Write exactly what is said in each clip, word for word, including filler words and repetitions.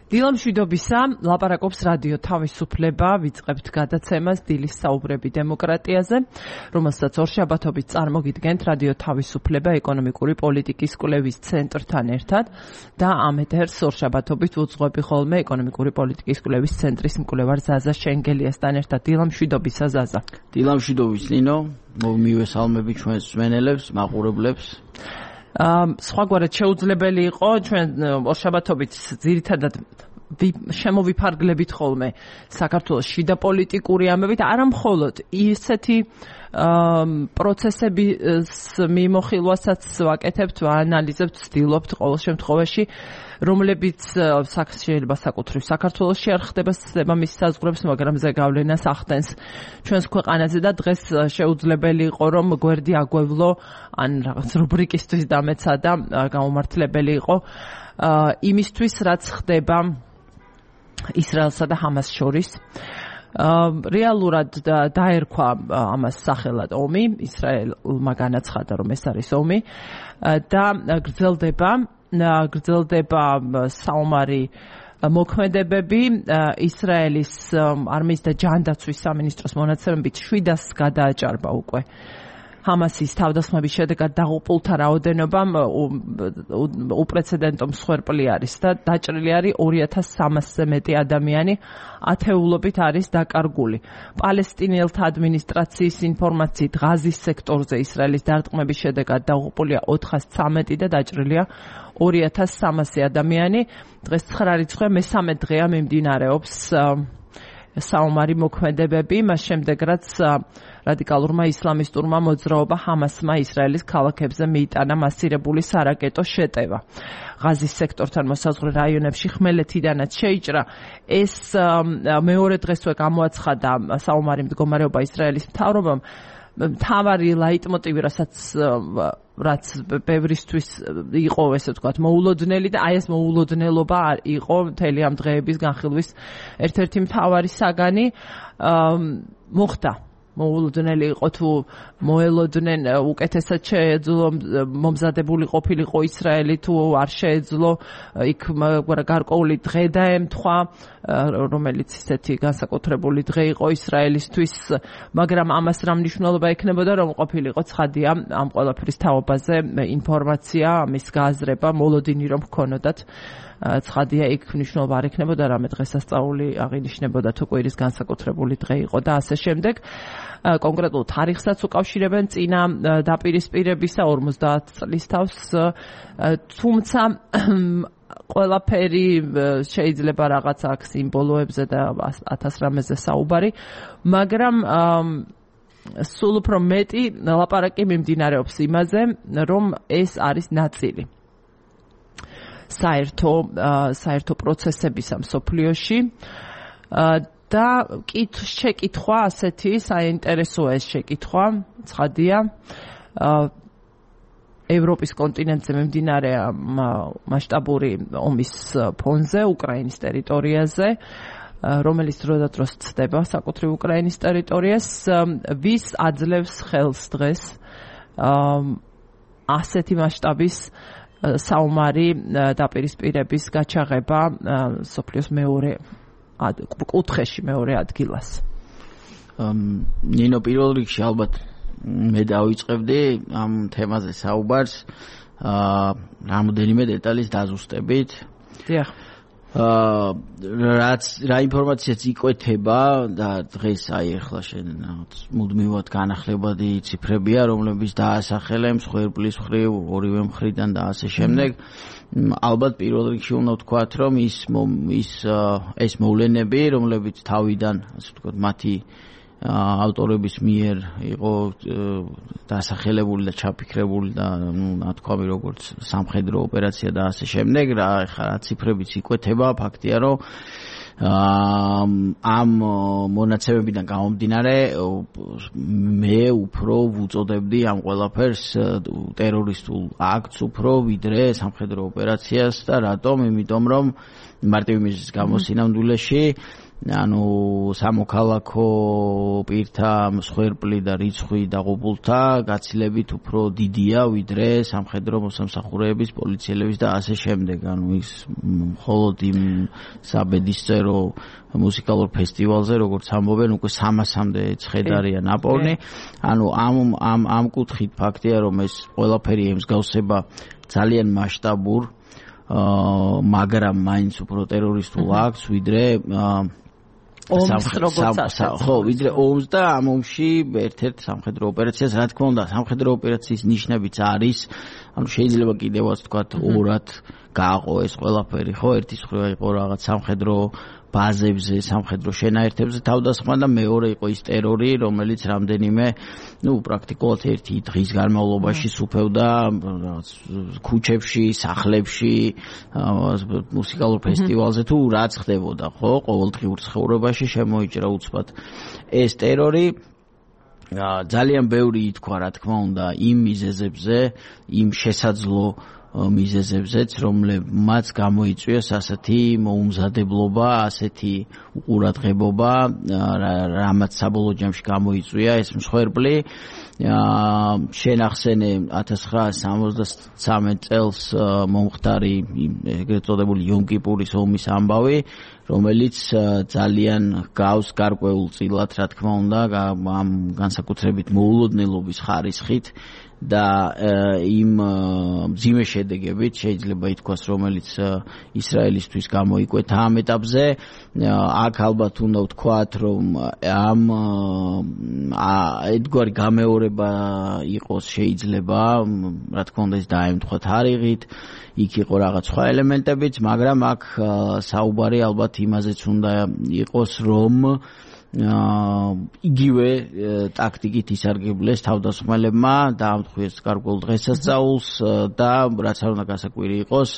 დილამშვიდობისა, ლაპარაკობს რადიო თავისუფლება, ვიწყებთ გადაცემას დილის საუბრები დემოკრატიაზე, რომელსაც ორშაბათობით წარმოგიდგენთ რადიო თავისუფლება ეკონომიკური პოლიტიკის კვლევის ცენტრთან ერთად და ამ ეთერს ორშაბათობით უძღვები ხოლმე ეკონომიკური პოლიტიკის კვლევის ცენტრის მკვლევარ ზაზა შენგელიასთან ერთად. დილამშვიდობისა ზაზა. დილამშვიდობის ნინო, მივესალმები ჩვენს მსმენელებს, მაყურებლებს. სხვაგვარად შეუძლებელი იყო ჩვენ ორშაბათობით ძირითადად შემოვიფარგლებით ხოლმე საქართველოს შიდა პოლიტიკური ამბებით, არა მხოლოდ ისეთი პროცესების მიმოხილვასაც ვაკეთებთ, ვაანალიზებთ, ვცდილობთ ყოველ შემთხვევაში, რომლებიც შეიძლება საკუთრივ საქართველოში არ ხდება მის საზღვრებს, მაგრამ ზეგავლენას ახდენს ჩვენს ქვეყანაზე და დღეს შეუძლებელი იყო რომ გვერდი აგვევლო ან რაღაც რუბრიკისთვის დამეცადა გამომართლებელი იყო იმისთვის რაც ხდება ისრაელსა და ჰამას შორის. რეალურად დაერქვა ამას სახელად ომი, ისრაელმა განაცხადა რომ ეს არის ომი და გრძელდება გრძელდება საომარი მოქმედებები. ისრაელის არმიის და ჯანდაცვის სამინისტროს მონაცემებით შვიდას გადააჭარბა უკვე ჰამასის თავდასხმების შედეგად დაღუპულთა რაოდენობამ უპრეცედენტო მსხვერპლი არის და დაჭრილი არის ორი ათას სამასზე მეტი ადამიანი, ათეულობით არის დაკარგული. პალესტინელთა ადმინისტრაციის ინფორმაციით ღაზის სექტორზე ისრაელის დარტყმების შედეგად დაღუპულია ოთხას ცამეტი და დაჭრილია ორი ათას სამასი ადამიანი. დღეს ცხრა რიცხვია, მესამე დღეა მიმდინარეობს საომარი მოქმედებები, მას შემდეგ რაც რადიკალურმა ისლამისტურმა მოძრაობა ჰამასმა ისრაელის ქალაქებზე მიიტანა მასირებული სარაკეტო შეტევა. ღაზის სექტორთან მოსაზღვრე რაიონებში ხმელეთიდანაც შეიჭრა. ეს მეორე დღესვე გამოაცხადა საომარი მდგომარეობა ისრაელის მთავრობამ. მთავარი ლაიტმოტივი, რასაც რაც ბევრისთვის იყო, ესე ვთქვათ, მოულოდნელი და აი ეს მოულოდნელობა იყო მთელი ამ დღეების განხილვის ერთ-ერთი მთავარი საგანი. მოხდა მოულოდნელი იყო თუ მოელოდნენ უკეთესად შეეძლო მომზადებული ყოფილიყო ისრაელი თუ არ შეეძლო იქ გარკვეული დღე დაემთხვა, რომელიც ისეთი განსაკუთრებული დღე იყო ისრაელისთვის, მაგრამ ამას რა მნიშვნელობა ექნებოდა რომ ყოფილიყო ცხადია ამ ყველაფრის თაობაზე ინფორმაცია, ამის გააზრება, მოლოდინი რომ ჰქონოდათ. ცხადია იქ მნიშვნელობა არ ექნებოდა, რამე დღესასწაული აღინიშნებოდა თუ კვირის განსაკუთრებული დღე იყო და ასე შემდეგ. კონკრეტულ თარიღსაც უკავშირებენ წინა დაპირისპირებისა ორმოცდაათ წლის თავს, თუმცა ყველაფერი შეიძლება რაღაც აქ სიმბოლოებზე და ათას რამეზე საუბარი, მაგრამ სულ უფრო მეტი ლაპარაკი მიმდინარეობს იმაზე, რომ ეს არის ნაწილი საერთო საერთო პროცესებისა მსოფლიოში და შეკითხვა ასეთი საინტერესოა ეს შეკითხვა, ცხადია ევროპის კონტინენტზე მიმდინარე მასშტაბური ომის ფონზე უკრაინის ტერიტორიაზე, რომელიც დროდადროს ცდება საკუთრივ უკრაინის ტერიტორიას, ვის აძლევს ხელს დღეს ასეთი მასშტაბის საომარი დაპირისპირების გაჩაღება სოფლიოს მეორე კუთხეში მეორე ადგილას. ნინო, პირველ რიგში ალბათ მე დავიწყებდი ამ თემაზე საუბარს რამოდენიმე დეტალის დაზუსტებით. დიახ. რაც რა ინფორმაციაც იკვეთება და დღეს აი ახლა შენ მუდმივად განახლებადი ციფრებია, რომლებიც დაასახელე მსხვერპლის მხრივ, ორივე მხრიდან და ასე შემდეგ. ალბათ პირველ რიგში უნდა ვთქვათ, რომ ის ის ეს მოვლენები, რომლებიც თავიდან, ასე ვთქვათ, მათი ავტორების მიერ იყო დასახელებული და ჩაფიქრებული და ნუ ნათქვამი როგორც სამხედრო ოპერაცია და ასე შემდეგ, რა ხა ციფრებიც იკვეთება, ფაქტია რომ ამ მონაცემებიდან გამომდინარე მე უფრო ვუწოდებდი ამ ყველაფერს ტერორისტულ აქტს უფრო ვიდრე სამხედრო ოპერაციას და რატომ? იმიტომ რომ მარტივი მიზეზის გამო სინამდვილეში ანუ სამოქალაქო პირთა მსხვერპლი და რიცხვი დაღუპულთა გაცილებით უფრო დიდია ვიდრე სამხედრო მოსამსახურეების, პოლიციელების და ასე შემდეგ. ანუ ის მხოლოდ იმ საბედისწერო მუსიკალურ ფესტივალზე, როგორც ამბობენ, უკვე სამასამდე ცხედარია ნაპოვნი. ანუ ამ ამ ამ კუთხით ფაქტია, რომ ეს ყველაფერი ემსგავსება ძალიან მასშტაბურ, მაგრამ მაინც უფრო ტერორისტულ აქტს, ვიდრე ომს როგორც ასე. ხო, ვიდრე ომს და ამ ომში ერთ-ერთ სამხედრო ოპერაციას, რა თქმა უნდა, სამხედრო ოპერაციის ნიშნებიც არის, ანუ შეიძლება კიდევაც თქვათ ორად გააყო ეს ყველაფერი, ხო, ერთის მხრივ იყო რაღაც სამხედრო ბაზებზე, სამხედრო შენაერთებზე თავდასხმა და მეორე იყო ის ტერორი, რომელიც რამდენიმე, ну, პრაქტიკულად ერთი დღის განმავლობაში სუფევდა ქუჩებში, სახლებში, მუსიკალურ ფესტივალზე თუ რაც ხდებოდა, ხო, ყოველდღიურ ცხოვრებაში შემოიჭრა უცბად ეს ტერორი. ძალიან ბევრი ითქვა, რა თქმა უნდა, იმ მიზეზებზე, იმ შესაძლო მიზეზებზეც, რომლებმაც გამოიწვიეს ასეთი მოუმზადებლობა, ასეთი უყურადღებობა, რამაც საბოლოო ჯამში გამოიწვია ეს მსხვერპლი. შენახსენე ათას ცხრაასი სამოცდასამი წელს მომხდარი ეგრეთ წოდებული იომ-კიპურის ომის ამბავი, რომელიც ძალიან გავს გარკვეულ წილად, რა თქმა უნდა, ამ განსაკუთრებით მოულოდნელობის ხარისხით და იმ მძიმე შედეგებით შეიძლება ითქვას, რომელიც ისრაელისთვის გამოიკვეთა ამ ეტაპზე. აქ ალბათ უნდა ვთქვათ, რომ ამ ერთგვარი გამეორება იყოს შეიძლება, რა თქმა უნდა, ეს დაემთხვა თარიღით, იქ იყო რაღაც სხვა ელემენტებიც, მაგრამ აქ საუბარი ალბათ იმაზეც უნდა იყოს, რომ იგივე ტაქტიკით ისარგებლეს თავდასხმელებმა, დაამტყვიეს გარკვეულ დღესასწაულს და რაც არ უნდა გასაკვირი იყოს,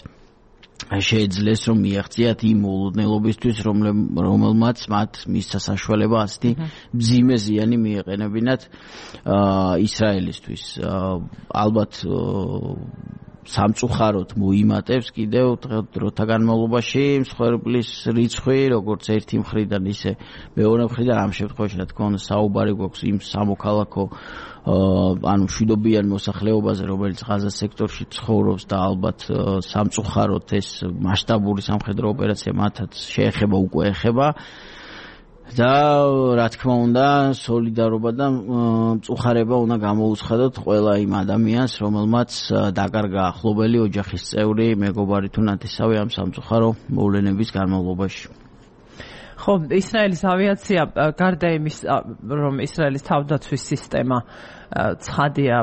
შეეძლეს რომ მიაღწიათ იმ მოულოდნელობისთვის, რომელმაც მათ მისცა საშუალება ასეთი მძიმე ზიანი მიეყენებინათ ისრაელისთვის. ალბათ სამწუხაროდ მოიმატებს კიდევ დროთა განმავლობაში მსხვერპლის რიცხვი, როგორც ერთი მხრიდან, ისე მეორე მხრიდან. ამ შემთხვევაში, რა თქმა უნდა, საუბარი გვაქვს იმ სამოქალაქო ანუ მშვიდობიან მოსახლეობაზე, რომელიც ღაზას სექტორში ცხოვრობს და ალბათ სამწუხაროდ ეს მასშტაბური სამხედრო ოპერაცია მათაც შეეხება, უკვე ეხება. და რა თქმა უნდა, სოლიდარობა და მწუხარება უნდა გამოუცხადოთ ყველა იმ ადამიანს, რომელმაც დაკარგა ახლობელი, ოჯახის წევრი, მეგობარი თუ ნათესავი ამ სამწუხარო მოვლენების განმავლობაში. ხო, ისრაელის ავიაცია, გარდა იმის, რომ ისრაელის თავდაცვის სისტემა ცხადია,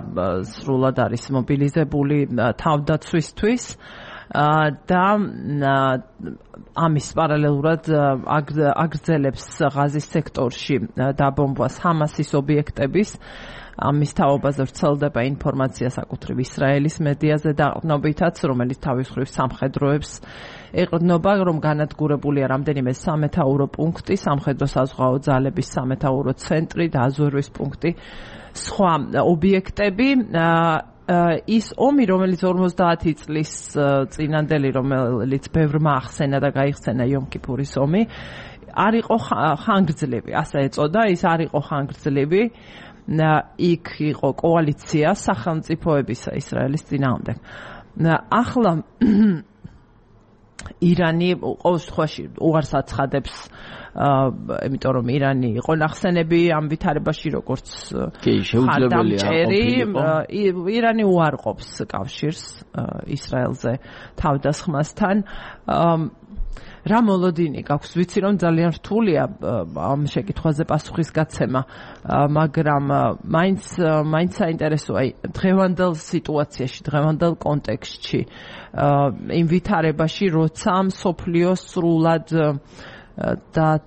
სრულად არის მობილიზებული თავდაცვისთვის და ამის პარალელურად აგრძელებს ღაზის სექტორში დაბომბვას ჰამასის ობიექტების. ამის თაობაზე ვრცელდება ინფორმაცია საკუთრივ ისრაელის მედიაზე დაყრდნობითაც, რომელიც თავის მხრივ სამხედროებს ეყრდნობა, რომ განადგურებულია რამდენიმე სამეთაურო პუნქტი, სამხედრო საზღვაო ძალების სამეთაურო ცენტრი და აზერვის პუნქტი, სხვა ობიექტები. ის ომი, რომელიც ორმოცდაათი წლის წინანდელი, რომელიც ბევრმა ახსენა და გაიხსენა იომ-კიპურის ომი, არ იყო ხანგრძლივი, ასე ეწოდა, ის არ იყო ხანგრძლივი. იქ იყო კოალიცია სახელმწიფოებისა ისრაელის წინააღმდეგ. ახლა ირანი ყოველ შემთხვევაში უარს აცხადებს, იმიტომ რომ ირანი იყო ნახსენები ამ ვითარებაში, როგორც ხარდამჭერი. ირანი უარყოფს კავშირს ისრაელზე თავდასხმასთან. რა მოლოდინი გაქვს? ვიცი, რომ ძალიან რთულია ამ შეკითხვაზე პასუხის გაცემა, მაგრამ მაინც მაინც საინტერესოა დღევანდელ სიტუაციაში, დღევანდელ კონტექსტში, იმ ვითარებაში, როცა მსოფლიო სრულად და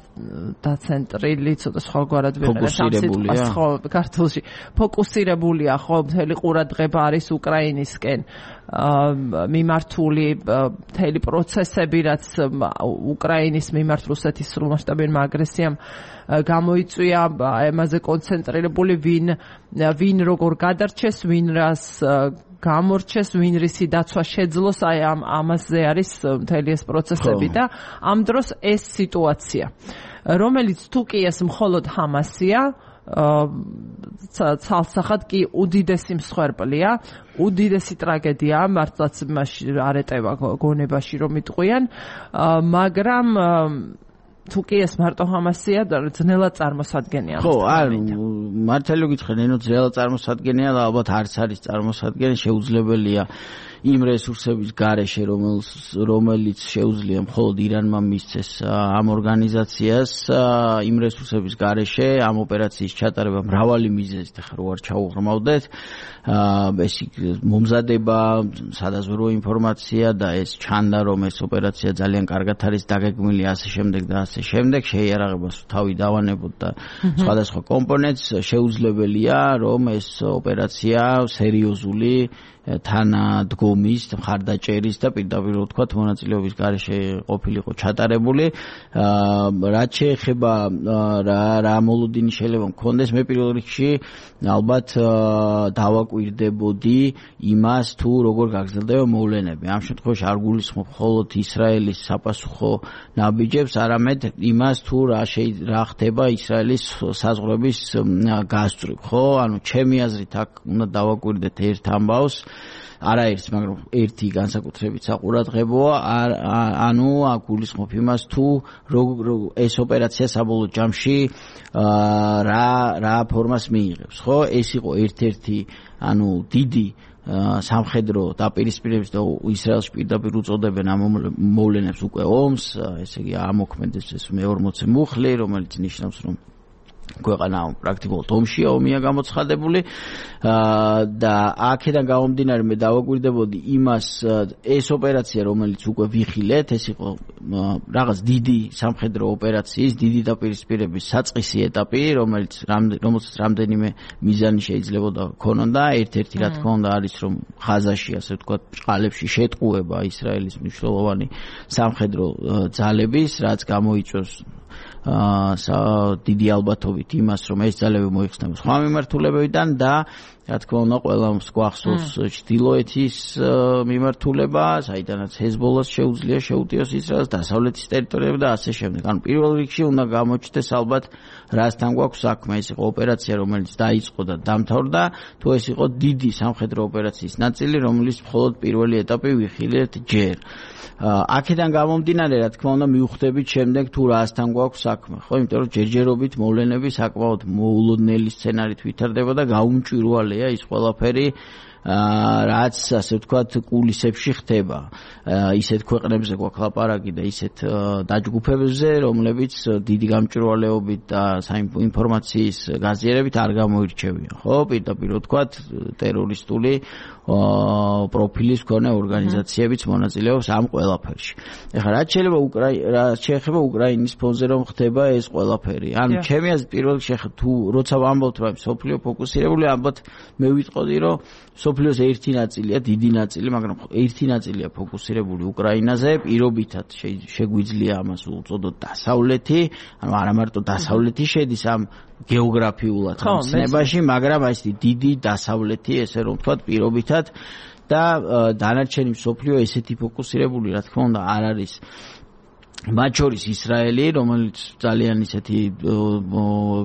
დაცენტრილი, ცოტა სხვაგვარად ვიყენებ ამ სიტყვას, ხო, ქართულში ფოკუსირებულია, ხო, მთელი ყურადღება არის უკრაინისკენ მიმართული, მთელი პროცესები, რაც უკრაინის მიმართ რუსეთის სრულმასშტაბურმა აგრესიამ გამოიწვია, ამაზე კონცენტრირებული, ვინ ვინ როგორ გადარჩეს, ვინ რას გამორჩეს, ვინ რისი დაცვა შეძლოს, აი ამ ამაზე არის მთელი ეს პროცესები და ამ დროს ეს სიტუაცია. რომელიც თუ კი ეს მხოლოდ ჰამასია, ცალსახად კი უდიდესი მსხვერპლია, უდიდესი ტრაგედია, მართლაც მაშინ არ ეტევა გონებაში რომ იტყვიან, მაგრამ თუ კი ეს მარტო ჰამასია, ძნელად წარმოსადგენია. ხო, არ მართალი გითხრენ, ნუ ძნელად წარმოსადგენია, ალბათ არც არის წარმოსადგენი, შეუძლებელია იმ რესურსების გარეშე, რომელიც შეუძლია მხოლოდ ირანმა მისცეს ამ ორგანიზაციას, იმ რესურსების გარეშე ამ ოპერაციის ჩატარება მრავალი მიზეზით, ახლა რო არ ჩაუღრმავდეთ, ეს მომზადება, სადაზვერვო ინფორმაცია და ეს ჩანდა, რომ ეს ოპერაცია ძალიან კარგად არის დაგეგმილი, ასე შემდეგ და ასე შემდეგ, შეიარაღებას თავი დავანებოთ და სხვადასხვა კომპონენტს, შეუძლებელია, რომ ეს ოპერაცია სერიოზული თანადგომის, მხარდაჭერის და პირდაპირ ვთქვათ მონაწილეობის გარეშე ყოფილიყო ჩატარებული. რაც შეეხება რა რა მოლოდინი შეიძლება მქონდეს, მე პირველ რიგში ალბათ დავაკვირდებოდი იმას, თუ როგორ გაგრძელდება მოვლენები. ამ შემთხვევაში არ გულისხმობ მხოლოდ ისრაელის საპასუხო ნაბიჯებს, არამედ იმას, თუ რა რა ხდება ისრაელის საზღვრების გასწვრივ, ხო? ანუ ჩემი აზრით აქ უნდა დავაკვირდეთ ერთ ამბავს, არაერთს, მაგრამ ერთი განსაკუთრებით საყურადღებოა, ანუ აქ გულისხმობ იმას, თუ ეს ოპერაცია საბოლოო ჯამში რა რა ფორმას მიიღებს, ხო? ეს იყო ერთ-ერთი, ანუ დიდი სამხედრო დაპირისპირების და ისრაელს პირდაპირ უწოდებენ ამ მოვლენებს უკვე ომს, ესე იგი ამოქმედებს ეს მეორმოცე მუხლი, რომელიც ნიშნავს, რომ ქვეყანა პრაქტიკულად ომშია, ომია გამოცხადებული და აქედან გამომდინარე მე დავაკვირდებოდი იმას, ეს ოპერაცია, რომელიც უკვე ვიხილეთ, ეს იყო რაღაც დიდი სამხედრო ოპერაციის, დიდი დაპირისპირების საწყისი ეტაპი, რომელიც რომელსაც რამდენიმე მიზანი შეიძლებოდა ქონოდა. ერთ-ერთი რა თქმა უნდა არის, რომ ხაზაში, ასე ვთქვათ, ბრჭყალებში შეტყუება ისრაელის მნიშვნელოვანი სამხედრო ძალების, რაც გამოიწვევს დიდი ალბათობით იმას, რომ ეს ძალები მოიხსნება სხვა მიმართულებებიდან და რა თქმა უნდა ყველა გვახსოვს ჩრდილოეთის მიმართულება, საიდანაც ჰეზბოლას შეუძლია შეუტიოს ისრაელს, დასავლეთის ტერიტორიები და ასე შემდეგ. ანუ პირველ რიგში უნდა გამოჩნდეს ალბათ რასთან გვაქვს საქმე, ეს იყო ოპერაცია, რომელიც დაიწყო და დამთავრდა, თუ ეს იყო დიდი სამხედრო ოპერაციის ნაწილი, რომლის მხოლოდ პირველი ეტაპი ვიხილეთ ჯერ. აქედან გამომდინარე, რა თქმა უნდა, მივხვდებით შემდეგ თუ რასთან გვაქვს საქმე, ხო? იმიტომ რომ ჯერჯერობით მოვლენები საკმაოდ მოულოდნელი სცენარით ვითარდება და გაუმჭვირვალეა ის ყველაფერი, რაც ასე ვთქვათ კულისებში ხდება. ისეთ ქვეყნებზე გვაქვს ლაპარაკი და ისეთ დაჯგუფებებზე, რომლებიც დიდი გამჭვირვალეობით და საინფორმაციის გაზიარებით არ გამოირჩევიან, ხო? პირდაპირ ვთქვათ ტერორისტული პროფილის მქონე ორგანიზაციებიც მონაწილეობს ამ ყველაფერში. ეხლა რაც შეიძლება რაც შეეხება უკრაინის ფონზე რომ ხდება ეს ყველაფერი. ანუ ჩემი აზრით პირველ რიგში თუ როცა ვამბობთ რომ სოფლიო ფოკუსირებული, ალბათ მე ვიტყოდი რომ სოფლიოს ერთი ნაწილია, დიდი ნაწილი, მაგრამ ერთი ნაწილია ფოკუსირებული უკრაინაზე, პირობითად შეგვიძლია ამას უწოდოთ დასავლეთი, ანუ არა მარტო დასავლეთი შედის ამ გეოგრაფიულად ხსნებაში, მაგრამ აი ეს დიდი დასავლეთი, ესე რომ ვთქვათ, პირობითად და დანარჩენი მსოფლიო ესეთი ფოკუსირებული, რა თქმა უნდა, არ არის. მათ შორის ისრაელი, რომელიც ძალიან ისეთი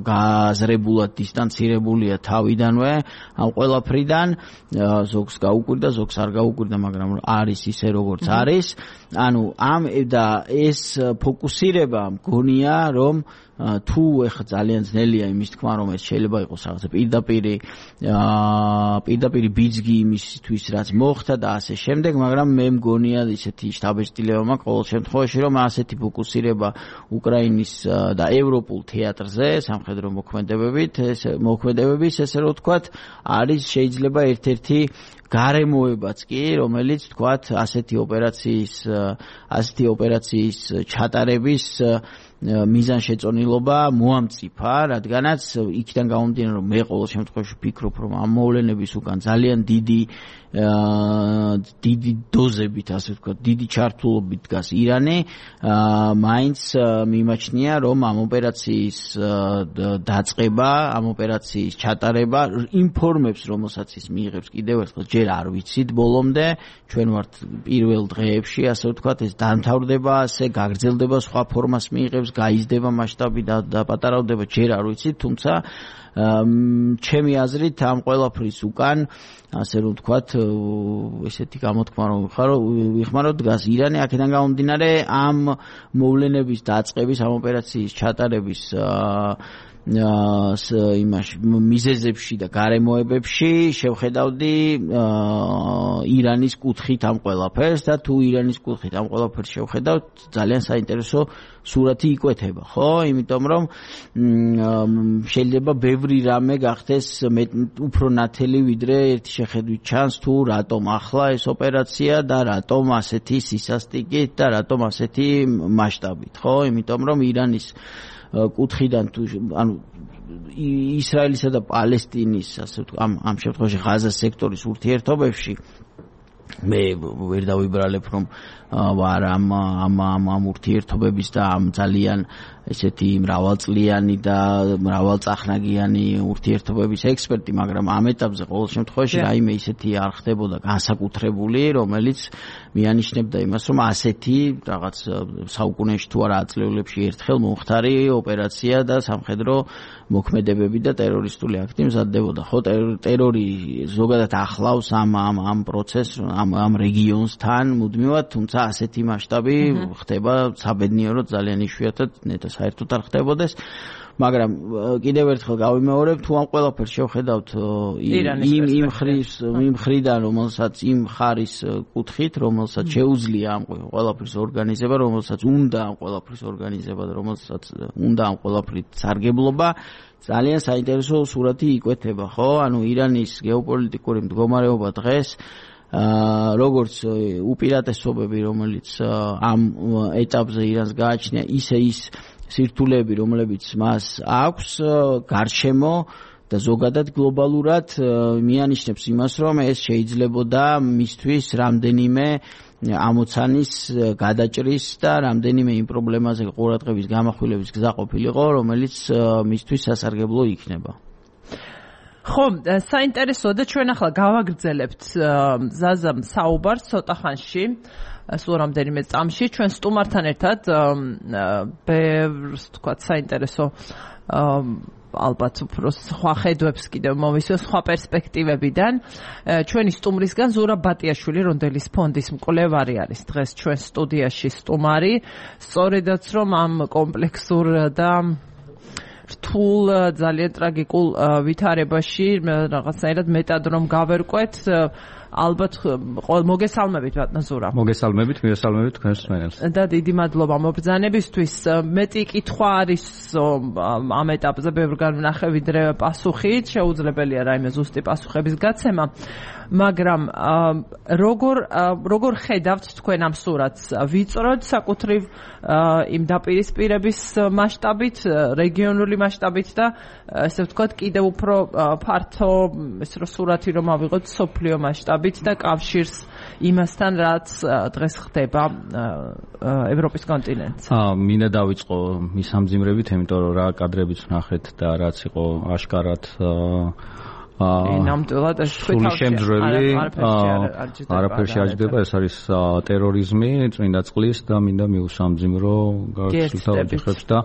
გააზრებულად დისტანცირებულია თავიდანვე ამ ყველაფრიდან, ზოგს გაუკვირდა, ზოგს არ გაუკვირდა, მაგრამ არის ისე როგორც არის. ანუ ამ და ეს ფოკუსირება მგონია, რომ თუ ეხა ძალიან ძნელია იმის თქმა, რომ ეს შეიძლება იყოს რაღაცა პირდაპირი პირდაპირი ბიძგი იმისთვის, რაც მოხდა და ასე შემდეგ, მაგრამ მე მგონია ისეთი შთაბეჭდილება მაქვს ყოველ შემთხვევაში, რომ ასეთი ფოკუსირება უკრაინის და ევროპულ თეატრზე, სამხედრო მოქმედებებით, ეს მოქმედებების, ესე რომ ვთქვათ, არის შეიძლება ერთ-ერთი გარემოებაც კი, რომელიც თქვათ ასეთი ოპერაციის ასეთი ოპერაციის ჩატარების მიზანშეწონილობა მოამწიფა, რადგანაც იქიდან გამომდინარე, რომ მე ყოველ შემთხვევაში ვფიქრობ, რომ ამ მოვლენების უკან ძალიან დიდი დიდი დოზებით, ასე ვთქვათ, დიდი ჩართულობით დგას ირანი, მაინც მიმაჩნია, რომ ამ ოპერაციის დაწყება, ამ ოპერაციის ჩატარება ინფორმებს, რომელსაც ის მიიღებს კიდევ ერთხელ ჯერ არ ვიცით ბოლომდე, ჩვენ ვართ პირველ დღეებში, ასე ვთქვათ, ეს დამთავრდება, ასე გაგრძელდება, სხვა ფორმას მიიღებს, გაიზრდება მასშტაბი და პატარავდება, ჯერ არ ვიცით, თუმცა ჩემი აზრით ამ ყველაფრის უკან ასე რომ ვთქვათ, ესეთი გამოთქმა რომ ვიხმაროთ დგას ირანი, აქედან გამომდინარე ამ მოვლენების დაწყების, ამ ოპერაციის ჩატარების იმაში მიზეზებში და გარემოებებში შევხედავდი ირანის კუთხით ამ ყველაფერს და თუ ირანის კუთხით ამ ყველაფერს შევხედავთ, ძალიან საინტერესო სურათი იკვეთება, ხო? იმიტომ რომ შეიძლება ბევრი რამე გახდეს უფრო ნათელი ვიდრე ერთი შეხედვით ჩანს თუ რატომ ახლა ეს ოპერაცია და რატომ ასეთი სისასტიკით და რატომ ასეთი მასშტაბით, ხო? იმიტომ რომ ირანის კუთხიდან თუ ანუ ისრაელისა და პალესტინის ასე ვთქვათ ამ ამ შემთხვევაში ღაზას სექტორის ურთიერთობებში მე ვერ დავიბრალებ რომ ვარ ამ ამ ამ ურთიერთობების და ამ ძალიან ესეთი მრავალწლიანი და მრავალწახნაგიანი ურთიერთობების ექსპერტი, მაგრამ ამ ეტაპზე ყოველ შემთხვევაში რაიმე ისეთი არ ხდებოდა განსაკუთრებული, რომელიც მიანიშნებდა იმას, რომ ასეთი რაღაც საუკუნეში თუ არა ათწლეულებში ერთხელ მომხდარი ოპერაცია და სამხედრო მოქმედებები და ტერორისტული აქტი მზადდებოდა. ხო, ტერორი ზოგადად ახლავს ამ ამ ამ პროცესს, ამ ამ რეგიონსთან მუდმივად, თუმცა ასეთი მასშტაბი ხდება საბედნიეროდ ძალიან იშვიათად, ნეტა საერთოდ არ ხდებოდეს, მაგრამ კიდევ ერთხელ გავიმეორებ, თუ ამ ყველაფერს შევხედავთ იმ იმ ხრის იმ ხრიდან, რომელსაც იმ ხარის კუთხით, რომელსაც შეუძლია ამ ყველაფრის ორგანიზება, რომელსაც უნდა ამ ყველაფრის ორგანიზება და რომელსაც უნდა ამ ყველაფრით სარგებლობა, ძალიან საინტერესო სურათი იკვეთება, ხო? ანუ ირანის გეოპოლიტიკური მდგომარეობა დღეს როგორც უპირატესობები, რომელიც ამ ეტაპზე ირანს გააჩნია, ისე ის სირთულეები, რომლებიც მას აქვს გარშემო და ზოგადად გლობალურად მიანიშნებს იმას, რომ ეს შეიძლებოდა მისთვის რამდენიმე ამოცანის გადაჭრის და რამდენიმე იმ პრობლემაზე ყურადღების გამახვილების გზა ყოფილიყო, რომელიც მისთვის სასარგებლო იქნება. ხო, საინტერესოა და ჩვენ ახლა გავაგრძელებთ ზაზამ საუბარს ცოტა ხანში, სულ რამდენიმე წამში, ჩვენ სტუმართან ერთად ბევრს თქვათ საინტერესო ალბათ უფრო სხვა ხედვებს კიდევ მოვისვევ სხვა პერსპექტივებიდან. ჩვენი სტუმრისგან ზურაბ ბატიაშვილი, რონდელის ფონდის მკვლევარი არის დღეს ჩვენ სტუდიაში სტუმარი, სწორედაც რომ ამ კომპლექსურ და რთულ ძალიან ტრაგიკულ ვითარებაში რაღაცნაირად მეტად რომ გავერკვეთ, ალბათ მოგესალმებით ბატონ ზურაბ. მოგესალმებით, მიესალმებით თქვენს მსმენელს. და დიდი მადლობა მობრძანებისთვის. მეტი კითხვა არის ამ ეტაპზე ბევრგან ვნახე ვიდრე პასუხით, შეუძლებელია რაიმე ზუსტი პასუხების გაცემა, მაგრამ როგორ როგორ ხედავთ თქვენ ამ სურათს? ვიწროდ საკუთრივ იმ დაპირისპირების მასშტაბით, რეგიონული მასშტაბით და ესე ვთქვათ კიდევ უფრო ფართო ეს რო სურათი რომ ავიღოთ სოფლიო მასშტაბით და კავშირს იმასთან, რაც დღეს ხდება ევროპის კონტინენტზე. აა, მინდა დავიწყო მის ამძიმრებით, იმიტომ რომ რა კადრებიც ვნახეთ და რაც იყო აშკარად აა ნამდვილად ეს თქვენ შემძრელი არაფერში აჯდება, ეს არის ტერორიზმი, წმინდა წყლის და მინდა მიუსამძიმრო გასულთა ოჯახებს და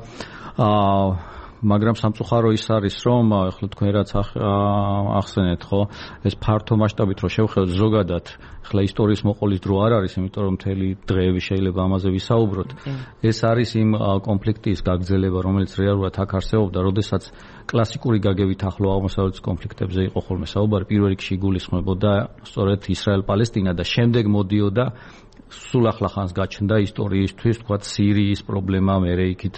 აა მაგრამ სამწუხარო ის არის, რომ ახლა თქვენ რაც ახსენეთ, ხო, ეს ფართო მასშტაბით რო შევხედოთ ზოგადად, ახლა ისტორიის მოყოლის დრო არ არის, იმიტომ რომ მთელი დღეები შეიძლება ამაზე ვისაუბროთ. ეს არის იმ კონფლიქტის გაგრძელება, რომელიც რეალურად აქ არსებობდა, როდესაც კლასიკური გაგებით ახლო აღმოსავლეთის კონფლიქტებზე იყო ხოლმე საუბარი, პირველ რიგში იგულისხმებოდა სწორედ ისრაელ-პალესტინა და შემდეგ მოდიოდა სულ ახლა ხანს გაჩნდა ისტორიისთვის, თქვათ, სირიის პრობლემა, მერე იქით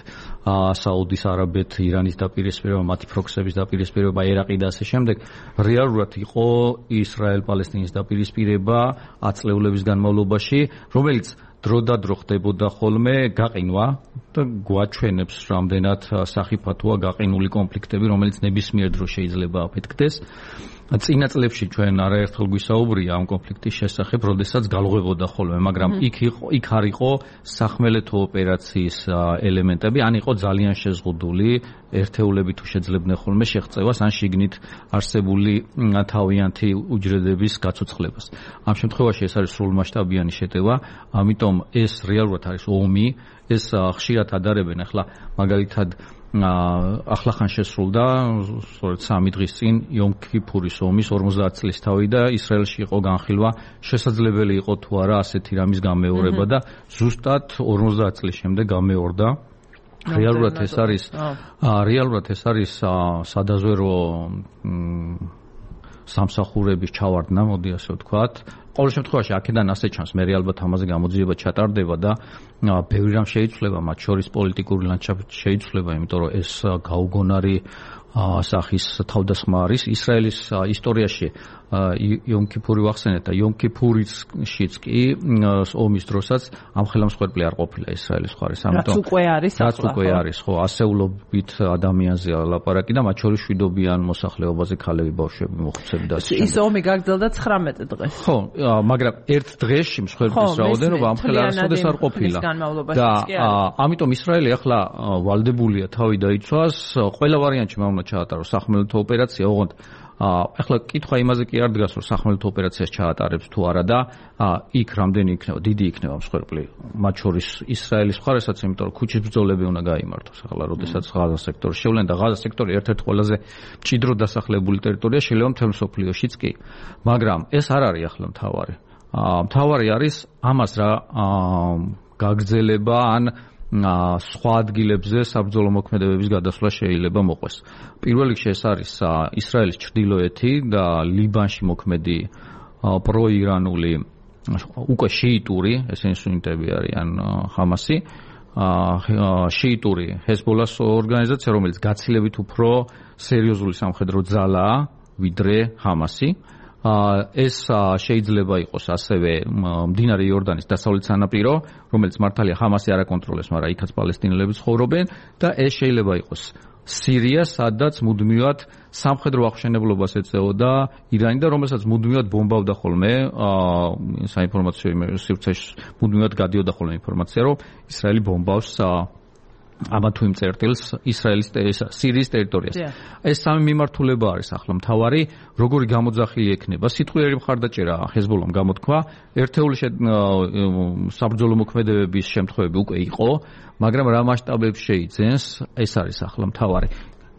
საუდის არაბეთ, ირანის დაპირისპირება, მათი პროქსების დაპირისპირება, ერაყი და ასე შემდეგ. რეალურად იყო ისრაელ-პალესტინის დაპირისპირება ათწლეულების განმავლობაში, რომელიც დრო და დრო ხდებოდა ხოლმე გაყინვა და გვაჩვენებს რამდენად სახიფათოა გაყინული კონფლიქტები, რომელიც ნებისმიერ დროს შეიძლება აფეთქდეს. წინა წლებში ჩვენ არაერთხელ გვისაუბრია ამ კონფლიქტის შესახებ, როდესაც galღვებოდა ხოლმე, მაგრამ იქ იყო, იქ არ იყო სახმელეთო ოპერაციის ელემენტები, ან იყო ძალიან შეზღუდული ერთეულები თუ შეძლებდნენ ხოლმე შეღწევას, ან შიგნით არსებული თავიანთი უჯრედების გაცოცხლებას. ამ შემთხვევაში ეს არის სრულმასშტაბიანი შეტევა, ამიტომ ეს რეალურად არის ომი, ეს ხშირად ადარებენ ახლა მაგალითად ახლა ხან შესრულდა სწორედ სამი დღის წინ იომ ქიფურის ომის ორმოცდაათ წლის თავი და ისრაელში იყო განხილვა შესაძლებელი იყო თუ არა ასეთი რამის გამეორება და ზუსტად ორმოცდაათ წლის შემდეგ გამეორდა რეალურად ეს არის რეალურად ეს არის სადაზვერო სამსახურების ჩავარდნა, მოდი ასე ვთქვათ. ყოველ შემთხვევაში აქედან ასე ჩანს, მე ალბათ ამაზე გამოძიება ჩატარდება და ბევრი რამ შეიცვლება, მათ შორის პოლიტიკური ლანდშაფტი შეიცვლება, იმიტომ რომ ეს გაუგონარი სახის თავდასხმა არის ისრაელის ისტორიაში იომ ქიფური ვახსენეთ და იომ ქიფურიშიც კი ომის დროსაც ამ ხელმსხვერპლი არ ყოფილა ისრაელის მხარეს, ამიტომ რაც უკვე არის რაც უკვე არის, ხო, ასეულობით ადამიანზე ლაპარაკი და მათ შორის შვიდობიან მოსახლეობაზე ქალები, ბავშვები, მოხუცები და ასე. ის ომი გაგრძელდა ცხრამეტ დღეს. ხო, მაგრამ ერთ დღეში მსხვერპლის რაოდენობა ამ ხელარასოდეს არ ყოფილა. და ამიტომ ისრაელი ახლა ვალდებულია თავი დაიცვას, ყველა ვარიანტში უნდა ჩაატაროს სახმელეთო ოპერაცია, ოღონდ ახლა კითხვა იმაზე კი არ დგას, რომ სახმელეთო ოპერაციას ჩაატარებს თუ არა და იქ რამდენი იქნება, დიდი იქნება მსხვერპლი, მათ შორის ისრაელის მხარესაც, იმიტომ რომ ქუჩის ბრძოლები უნდა გაიმართოს. ახლა როდესაც ღაზა სექტორი შევლენ და ღაზა სექტორი ერთ-ერთი ყველაზე მჭიდროდ დასახლებული ტერიტორია შეიძლება მთელ მსოფლიოშიც კი. მაგრამ ეს არ არის ახლა მთავარი. მთავარი არის ამას რა გაგრძელება ან სხვა ადგილებზე საბრძოლო მოქმედებების გადასვლა შეიძლება მოყვეს. პირველ რიგში ეს არის ისრაელის ჩრდილოეთი და ლიბანში მოქმედი პროირანული უკვე შიიტური, ესენი სუნიტები არიან ჰამასი, შიიტური ჰეზბოლას ორგანიზაცია, რომელიც გაცილებით უფრო სერიოზული სამხედრო ძალაა ვიდრე ჰამასი. ეს შეიძლება იყოს ასევე მდინარე იორდანის დასავლეთ სანაპირო, რომელიც მართალია ჰამასი არ აკონტროლებს, მაგრამ იქაც პალესტინელები ცხოვრობენ და ეს შეიძლება იყოს სირია, სადაც მუდმივად სამხედრო აღშენებლობას ეწეოდა ირანი და რომელსაც მუდმივად ბომბავდა ხოლმე საინფორმაციო სივრცეში მუდმივად გადიოდა ხოლმე ინფორმაცია, რომ ისრაელი ბომბავს ამა თუ იმ წერტილს ისრაელის სირიის ტერიტორიას. ეს სამი მიმართულება არის ახლა მთავარი, როგორი გამოძახილი ექნება. სიტყვიერი მხარდაჭერა ჰეზბოლამ გამოთქვა, ერთეული საბრძოლო მოქმედებების შემთხვევები უკვე იყო, მაგრამ რა მასშტაბებს შეიძენს, ეს არის ახლა მთავარი.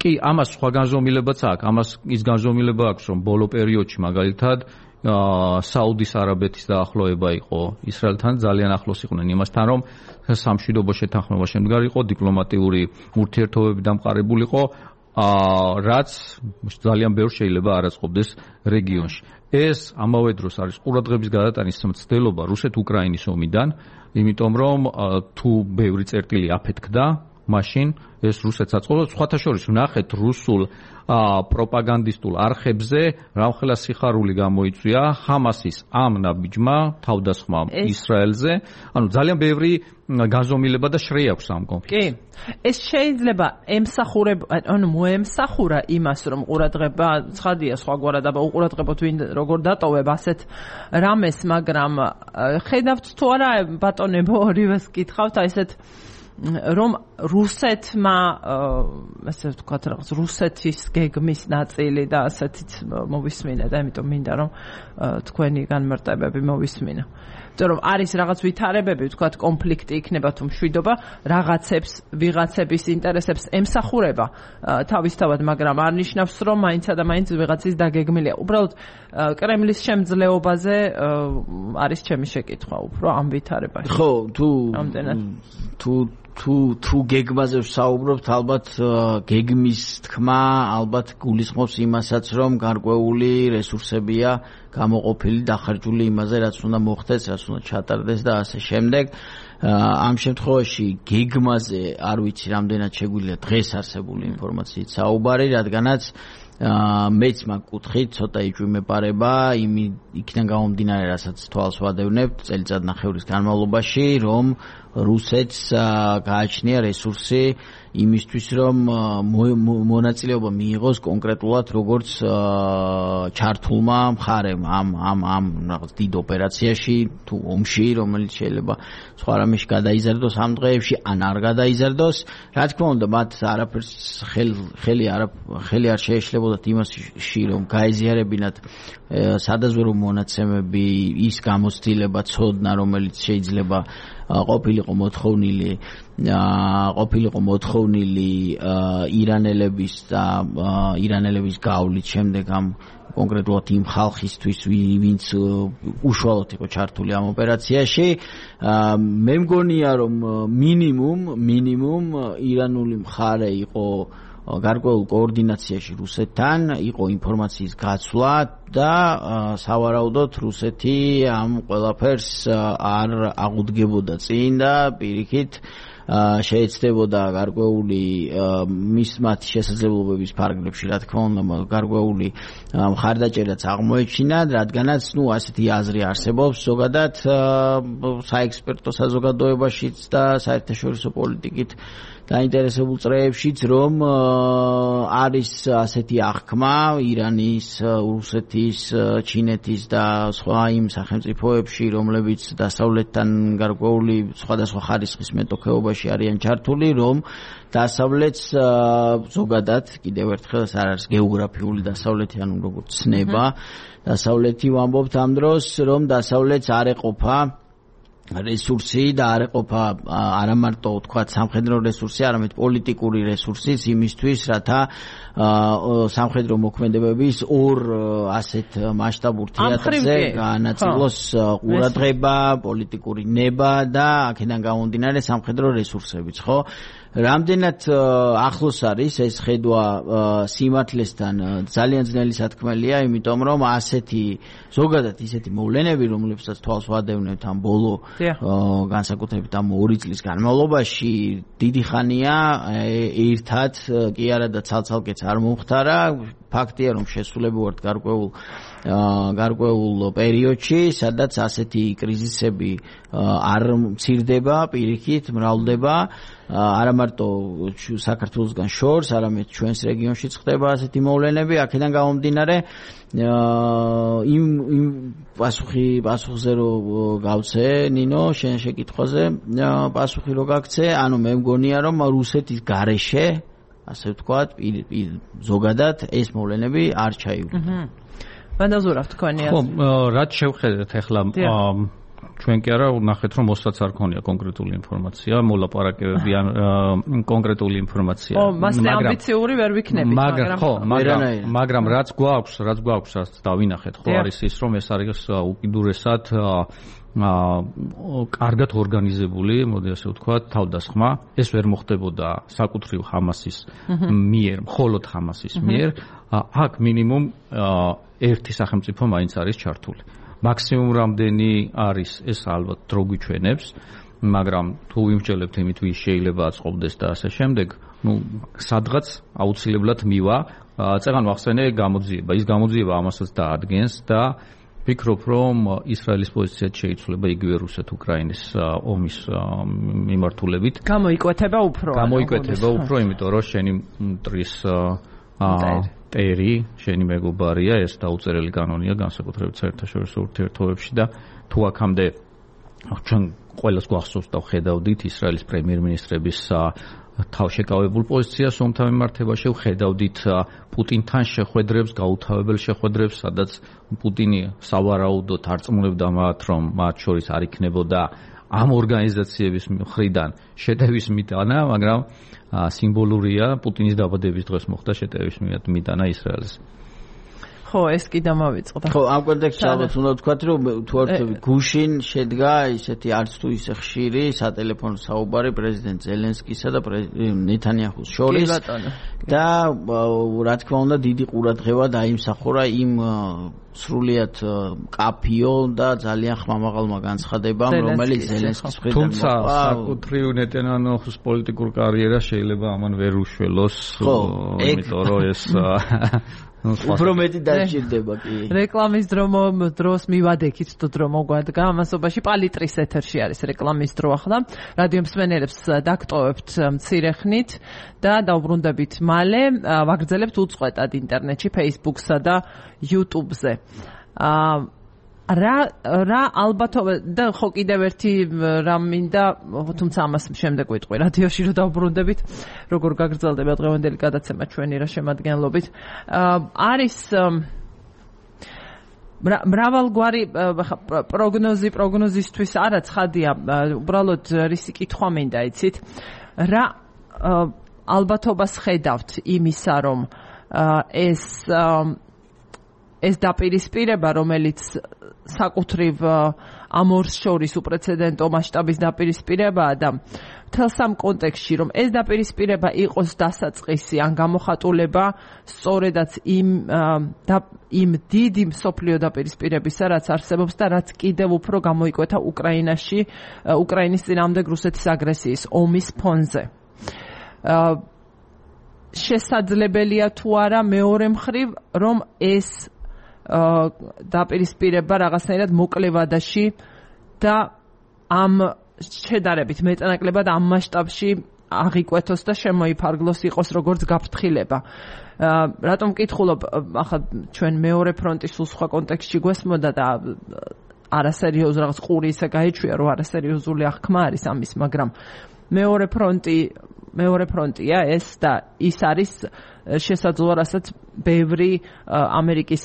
კი, ამას სხვა განზომილებაც აქვს, ამას ის განზომილება აქვს, რომ ბოლო პერიოდში მაგალითად საუდის არაბეთის დაახლოება იყო ისრაელთან, ძალიან ახლოს იყვნენ იმასთან, რომ სამშვიდობო შეთანხმება შემდგარიყო, დიპლომატიური ურთიერთობები დამყარებულიყო, რაც ძალიან ბევრ შეიძლება არაწყობდეს რეგიონში. ეს ამავე დროს არის ყურადღების გადატანის მცდელობა რუსეთ-უკრაინის ომიდან, იმიტომ რომ თუ ბევრი წერტილი აფეთქდა, მაშინ ეს რუსეთს აწყობდა. სხვათა შორის ვნახეთ რუსულ პროპაგანდისტულ არხებზე რამხელა სიხარული გამოიწვია ჰამასის ამ ნაბიჯმა თავდასხმამ ისრაელზე. ანუ ძალიან ბევრი განზომილება და შრე აქვს ამ კონფლიქტს. კი. ეს შეიძლება ემსახურება, ანუ მოემსახურა იმას, რომ ყურადღება ცხადია სხვაგვარად, აბა უყურადღებოთ ვინ როგორ დატოვებ ასეთ რამეს, მაგრამ ხედავთ თუ არა ბატონებო ორივეს კითხავთ, აი ესეთ რომ რუსეთმა ასე ვთქვათ რაღაც რუსეთის გეგმის ნაწილი და ასეთიც მოვისმინა და ამიტომ მინდა რომ თქვენი განმარტებები მოვისმინა. იმიტომ რომ არის რაღაც ვითარებები, ვთქვათ კონფლიქტი იქნება თუ მშვიდობა, რაღაცებს ვიღაცების ინტერესებს ემსახურება თავისთავად, მაგრამ არ ნიშნავს რომ მაინცა და მაინც ვიღაცის დაგეგმილია. უბრალოდ კრემლის შემძლეობაზე არის ჩემი შეკითხვა უფრო ამ ვითარებაში. ხო, თუ თუ თუ თუ გეგმაზე ვსაუბრობთ, ალბათ გეგმის თქმა ალბათ გულისხმობს იმასაც, რომ გარკვეული რესურსებია გამოყოფილი დახარჯული იმაზე, რაც უნდა მოხდეს, რაც უნდა ჩატარდეს და ასე შემდეგ. ამ შემთხვევაში გეგმაზე არ ვიცი რამდენად შეგვიძლია დღეს არსებული ინფორმაციით საუბარი, რადგანაც მეც მაგ კუთხით ცოტა იჭვიმეპარება იმ იქიდან გამომდინარე, რასაც თვალს ვადევნებთ წელიწად ნახევრის განმავლობაში, რომ რუსეთს გააჩნია რესურსი იმისთვის რომ მონაწილეობა მიიღოს კონკრეტულად როგორც ჩართულმა მხარემ ამ ამ ამ რაღაც დიდ ოპერაციაში თუ ომში, რომელიც შეიძლება სხვა რამეში გადაიზარდოს ამ დღეებში ან არ გადაიზარდოს. Რა თქმა უნდა, მათ არაფერს ხელი არ ხელი არ შეეშლებოდათ იმაში, რომ გაეზიარებინათ სადაზვერო მონაცემები, ის გამოცდილება, ცოდნა, რომელიც შეიძლება ყოფილიყო მოთხოვნილი ყოფილიყო მოთხოვნილი ირანელების და ირანელების გავლით შემდეგ ამ კონკრეტულად იმ ხალხისთვის, ვინც უშუალოდ იყო ჩართული ამ ოპერაციაში. მე მგონია, რომ მინიმუმ მინიმუმ ირანული მხარე იყო გარკვეულ კოორდინაციაში რუსეთთან, იყო ინფორმაციის გაცვლა და სავარაუდოდ რუსეთი ამ ყველაფერს არ აღუდგებოდა წინ და პირიქით შეეცდებოდა გარკვეული მის მათი შესაძლებლობების ფარგლებში, რა თქმა უნდა, გარკვეული მხარდაჭერაც აღმოეჩინათ, რადგანაც ნუ ასეთი აზრი არსებობს ზოგადად საექსპერტო საზოგადოებაშიც და საერთაშორისო პოლიტიკით დაინტერესებულ წრეებშიც, რომ არის ასეთი აღქმა ირანის, რუსეთის, ჩინეთის და სხვა იმ სახელმწიფოებში, რომლებიც დასავლეთთან გარკვეული სხვადასხვა ხარისხის მეტოქეობაში არიან ჩართული, რომ დასავლეთს ზოგადად კიდევ ერთხელ არ არის გეოგრაფიული დასავლეთი, ანუ როგორც ცნება, დასავლეთი ვამბობთ ამ დროს, რომ დასავლეთს არ ეყოფა რესურსი და არ ეყოფა არა მარტო თქვა სამხედრო რესურსი, არამედ პოლიტიკური რესურსიც იმისთვის, რათა სამხედრო მოქმედებების ორ ასეთ მასშტაბურ თეატრზე განაწილოს ყურადღება, პოლიტიკური ნება და აქედან გამომდინარე სამხედრო რესურსებიც, ხო? რამდენად ახლოს არის ეს ხედვა სიმართლესთან ძალიან ძნელი სათქმელია, იმიტომ რომ ასეთი ზოგადად ისეთი მოვლენები, რომლებსაც თვალს ვადევნებთ ამ ბოლო განსაკუთრებით ამ ორი წლის განმავლობაში, დიდი ხანია ერთად კი არა და ცალ-ცალკეც არ მომხდარა. ფაქტია, რომ შესულები ვართ გარკვეულ გარკვეულ პერიოდში, სადაც ასეთი კრიზისები არ მცირდება, პირიქით მრავლდება, არა მარტო საქართველოსგან შორს, არამედ ჩვენს რეგიონშიც ხდება ასეთი მოვლენები. აქედან გამომდინარე, იმ იმ პასუხი პასუხზე რო გავცე, ნინო, შენ შეკითხვაზე პასუხი რო გაგცე, ანუ მე მგონია, რომ რუსეთის გარეშე, ასე ვთქვათ, ზოგადად ეს მოვლენები არ ჩაივლინა. ვანდაზურა თქვენი ასე. ხო, რაც შევხედეთ ახლა ჩვენ კი არა ვნახეთ, რომ მოსდაც არ ქონია კონკრეტული ინფორმაცია, მოლაპარაკებები ან კონკრეტული ინფორმაცია. ო, მასე ამბიციური ვერ ვიქნებით, მაგრამ ხო, მაგრამ მაგრამ რაც გვაქვს, რაც გვაქვს, რაც დავინახეთ, ხო, არის ის, რომ ეს არის უკიდურესად კარგად ორგანიზებული, მოდი ასე ვთქვათ, თავდასხმა. ეს ვერ მოხდებოდა საკუთრივ ჰამასის მიერ, მხოლოდ ჰამასის მიერ. აქ მინიმუმ ერთი სახელმწიფო მაინც არის ჩართული. მაქსიმუმ რამდენი არის, ეს ალბათ დრო გვიჩვენებს, მაგრამ თუ ვიმსჯელებთ იმით, ვის შეიძლება აწყობდეს და ასე შემდეგ, ну, სადღაც აუცილებლად მივა. წეგან ვახსენე გამოძიება. ის გამოძიება ამასაც დაადგენს და ვფიქრობ, რომ ისრაელის პოზიციაც შეიცვლება იგივე რუსეთ-უკრაინის ომის მიმართულებით. გამოიკვეთება უფრო. გამოიკვეთება უფრო, იმიტომ რომ შენი მტრის ტერი, შენი მეგობარია, ეს დაუწერელი კანონია განსაკუთრებით საერთაშორისო ურთიერთობებში და თუ აქამდე ჩვენ ყველას გვახსოვს და ხედავდით ისრაელის პრემიერ-მინისტრების თავშეკავებულ პოზიციას ომთან მიმართებაში, ვხედავდით პუტინთან შეხვედრებს, გაუთავებელ შეხვედრებს, სადაც პუტინი სავარაუდოდ არწმუნებდა მათ, რომ მათ შორის არ იქნებოდა ამ ორგანიზაციების მხრიდან შეტევის მიტანა, მაგრამ სიმბოლურია, პუტინის დაბადების დღეს მოხდა შეტევის მიტანა ისრაელს. ხო, ეს კი დამავიწყდა. ხო, ამ კონტექსტში ალბათ უნდა ვთქვათ, რომ თუ ვთქვი, გუშინ შედგა ისეთი არც თუ ისე ხშირი სატელეფონო საუბარი პრეზიდენტ ზელენსკისა და ნეთანიაჰუს შორის და რა თქმა უნდა, დიდი ყურადღება დაიმსახურა იმ სრულიად კაფიო და ძალიან ხმამაღალმა განცხადებამ, რომელიც ზელენსკის მხრიდან მოყვა. თუმცა საკუთრივ ნეთანიაჰუს პოლიტიკურ კარიერას შეიძლება ამან ვერ უშველოს, იმიტომ რომ ეს უფრო მეტი დაჭირდება კი. რეკლამის დროს მივადექით თუ დრო მოგვადგა ამასობაში პალიტრის ეთერში არის რეკლამის დრო ახლა. რადიო მსმენელებს დაგტოვებთ მცირე ხნით და დავბრუნდებით მალე. ვაგრძელებთ უწყვეტად ინტერნეტში, Facebook-სა და YouTube-ზე. აა რა რა ალბათობა და ხო კიდევ ერთი რამ მინდა, თუმცა ამას შემდეგ ვიტყვი რადიოში რომ დავბრუნდებით, როგორ გაგრძელდება დღევანდელი გადაცემა ჩვენი რა შემადგენლობით. არის მრავალგვარი პროგნოზი პროგნოზისთვის არა ცხადია, უბრალოდ რისი კითხვა მინდა იცით, რა ალბათობას ხედავთ იმისა, რომ ეს ეს დაპირისპირება, რომელიც საკუთრივ ამ ორს შორის უპრეცედენტო მასშტაბის დაპირისპირებაა და მთელს ამ კონტექსტში, რომ ეს დაპირისპირება იყოს დასაწყისი ან გამოხატულება სწორედაც იმ იმ დიდი მსოფლიო დაპირისპირებისა, რაც არსებობს და რაც კიდევ უფრო გამოიკვეთა უკრაინაში, უკრაინის წინააღმდეგ რუსეთის აგრესიის ომის ფონზე. შესაძლებელია თუ არა მეორე მხრივ, რომ ეს დაპირისპირება რაღაცნაირად მოკლევადაში და ამ შედარებით მეტნაკლებად ამ მასშტაბში აღიკვეთოს და შემოიფარგლოს, იყოს როგორც გაფრთხილება. რატომ ვკითხულობ, ახლა ჩვენ მეორე ფრონტი სულ სხვა კონტექსტში გვესმოდა და არასერიოზ რაღაც ყური ისე გაიჩვია, რომ არასერიოზული აღქმა არის ამის, მაგრამ მეორე ფრონტი მეორე ფრონტია ეს და ის არის შესაძლოა, რასაც ბევრი ამერიკის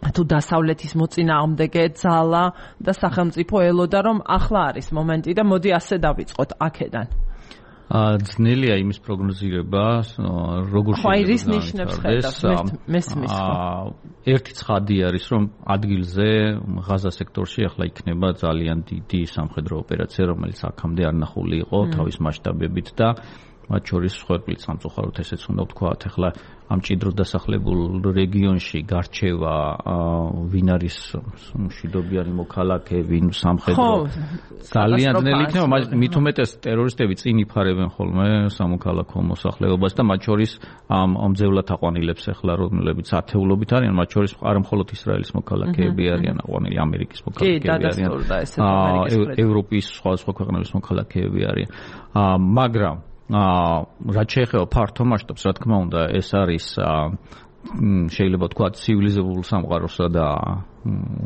თუ დასავლეთის მოწინააღმდეგე ძალა და სახელმწიფო ელოდა, რომ ახლა არის მომენტი და მოდი ასე დავიწყოთ აქედან. ძნელია იმის პროგნოზირება, როგორ შეიძლება. ერთი ცხადი არის, რომ ადგილზე ღაზა სექტორში ახლა იქნება ძალიან დიდი სამხედრო ოპერაცია, რომელიც აქამდე არ ნახული იყო თავის მასშტაბებით და მათ შორის მსხვერპლი სამწუხაროდ ესეც უნდა ვთქვათ, ახლა ამ ჭიდროდ დასახლებულ რეგიონში გარჩევა ვინ არის მშვიდობიანი მოქალაქე, ვინ სამხედრო ძალიან ძნელი იქნება, მით უმეტეს ტერორისტები წინ იფარებენ ხოლმე სამოქალაქო მოსახლეობას და მათ შორის ამ ამძევლად აყვანილებს ახლა რომლებიც ათეულობით არიან, მათ შორის არა მხოლოდ ისრაელის მოქალაქეები არიან აყვანილი, ამერიკის მოქალაქეები არიან, ევროპის სხვადასხვა ქვეყნების მოქალაქეები არიან, მაგრამ რაც შეეხება ფართო მასშტაბს, რა თქმა უნდა, ეს არის შეიძლება თქვა ცივილიზებულ სამყაროსა და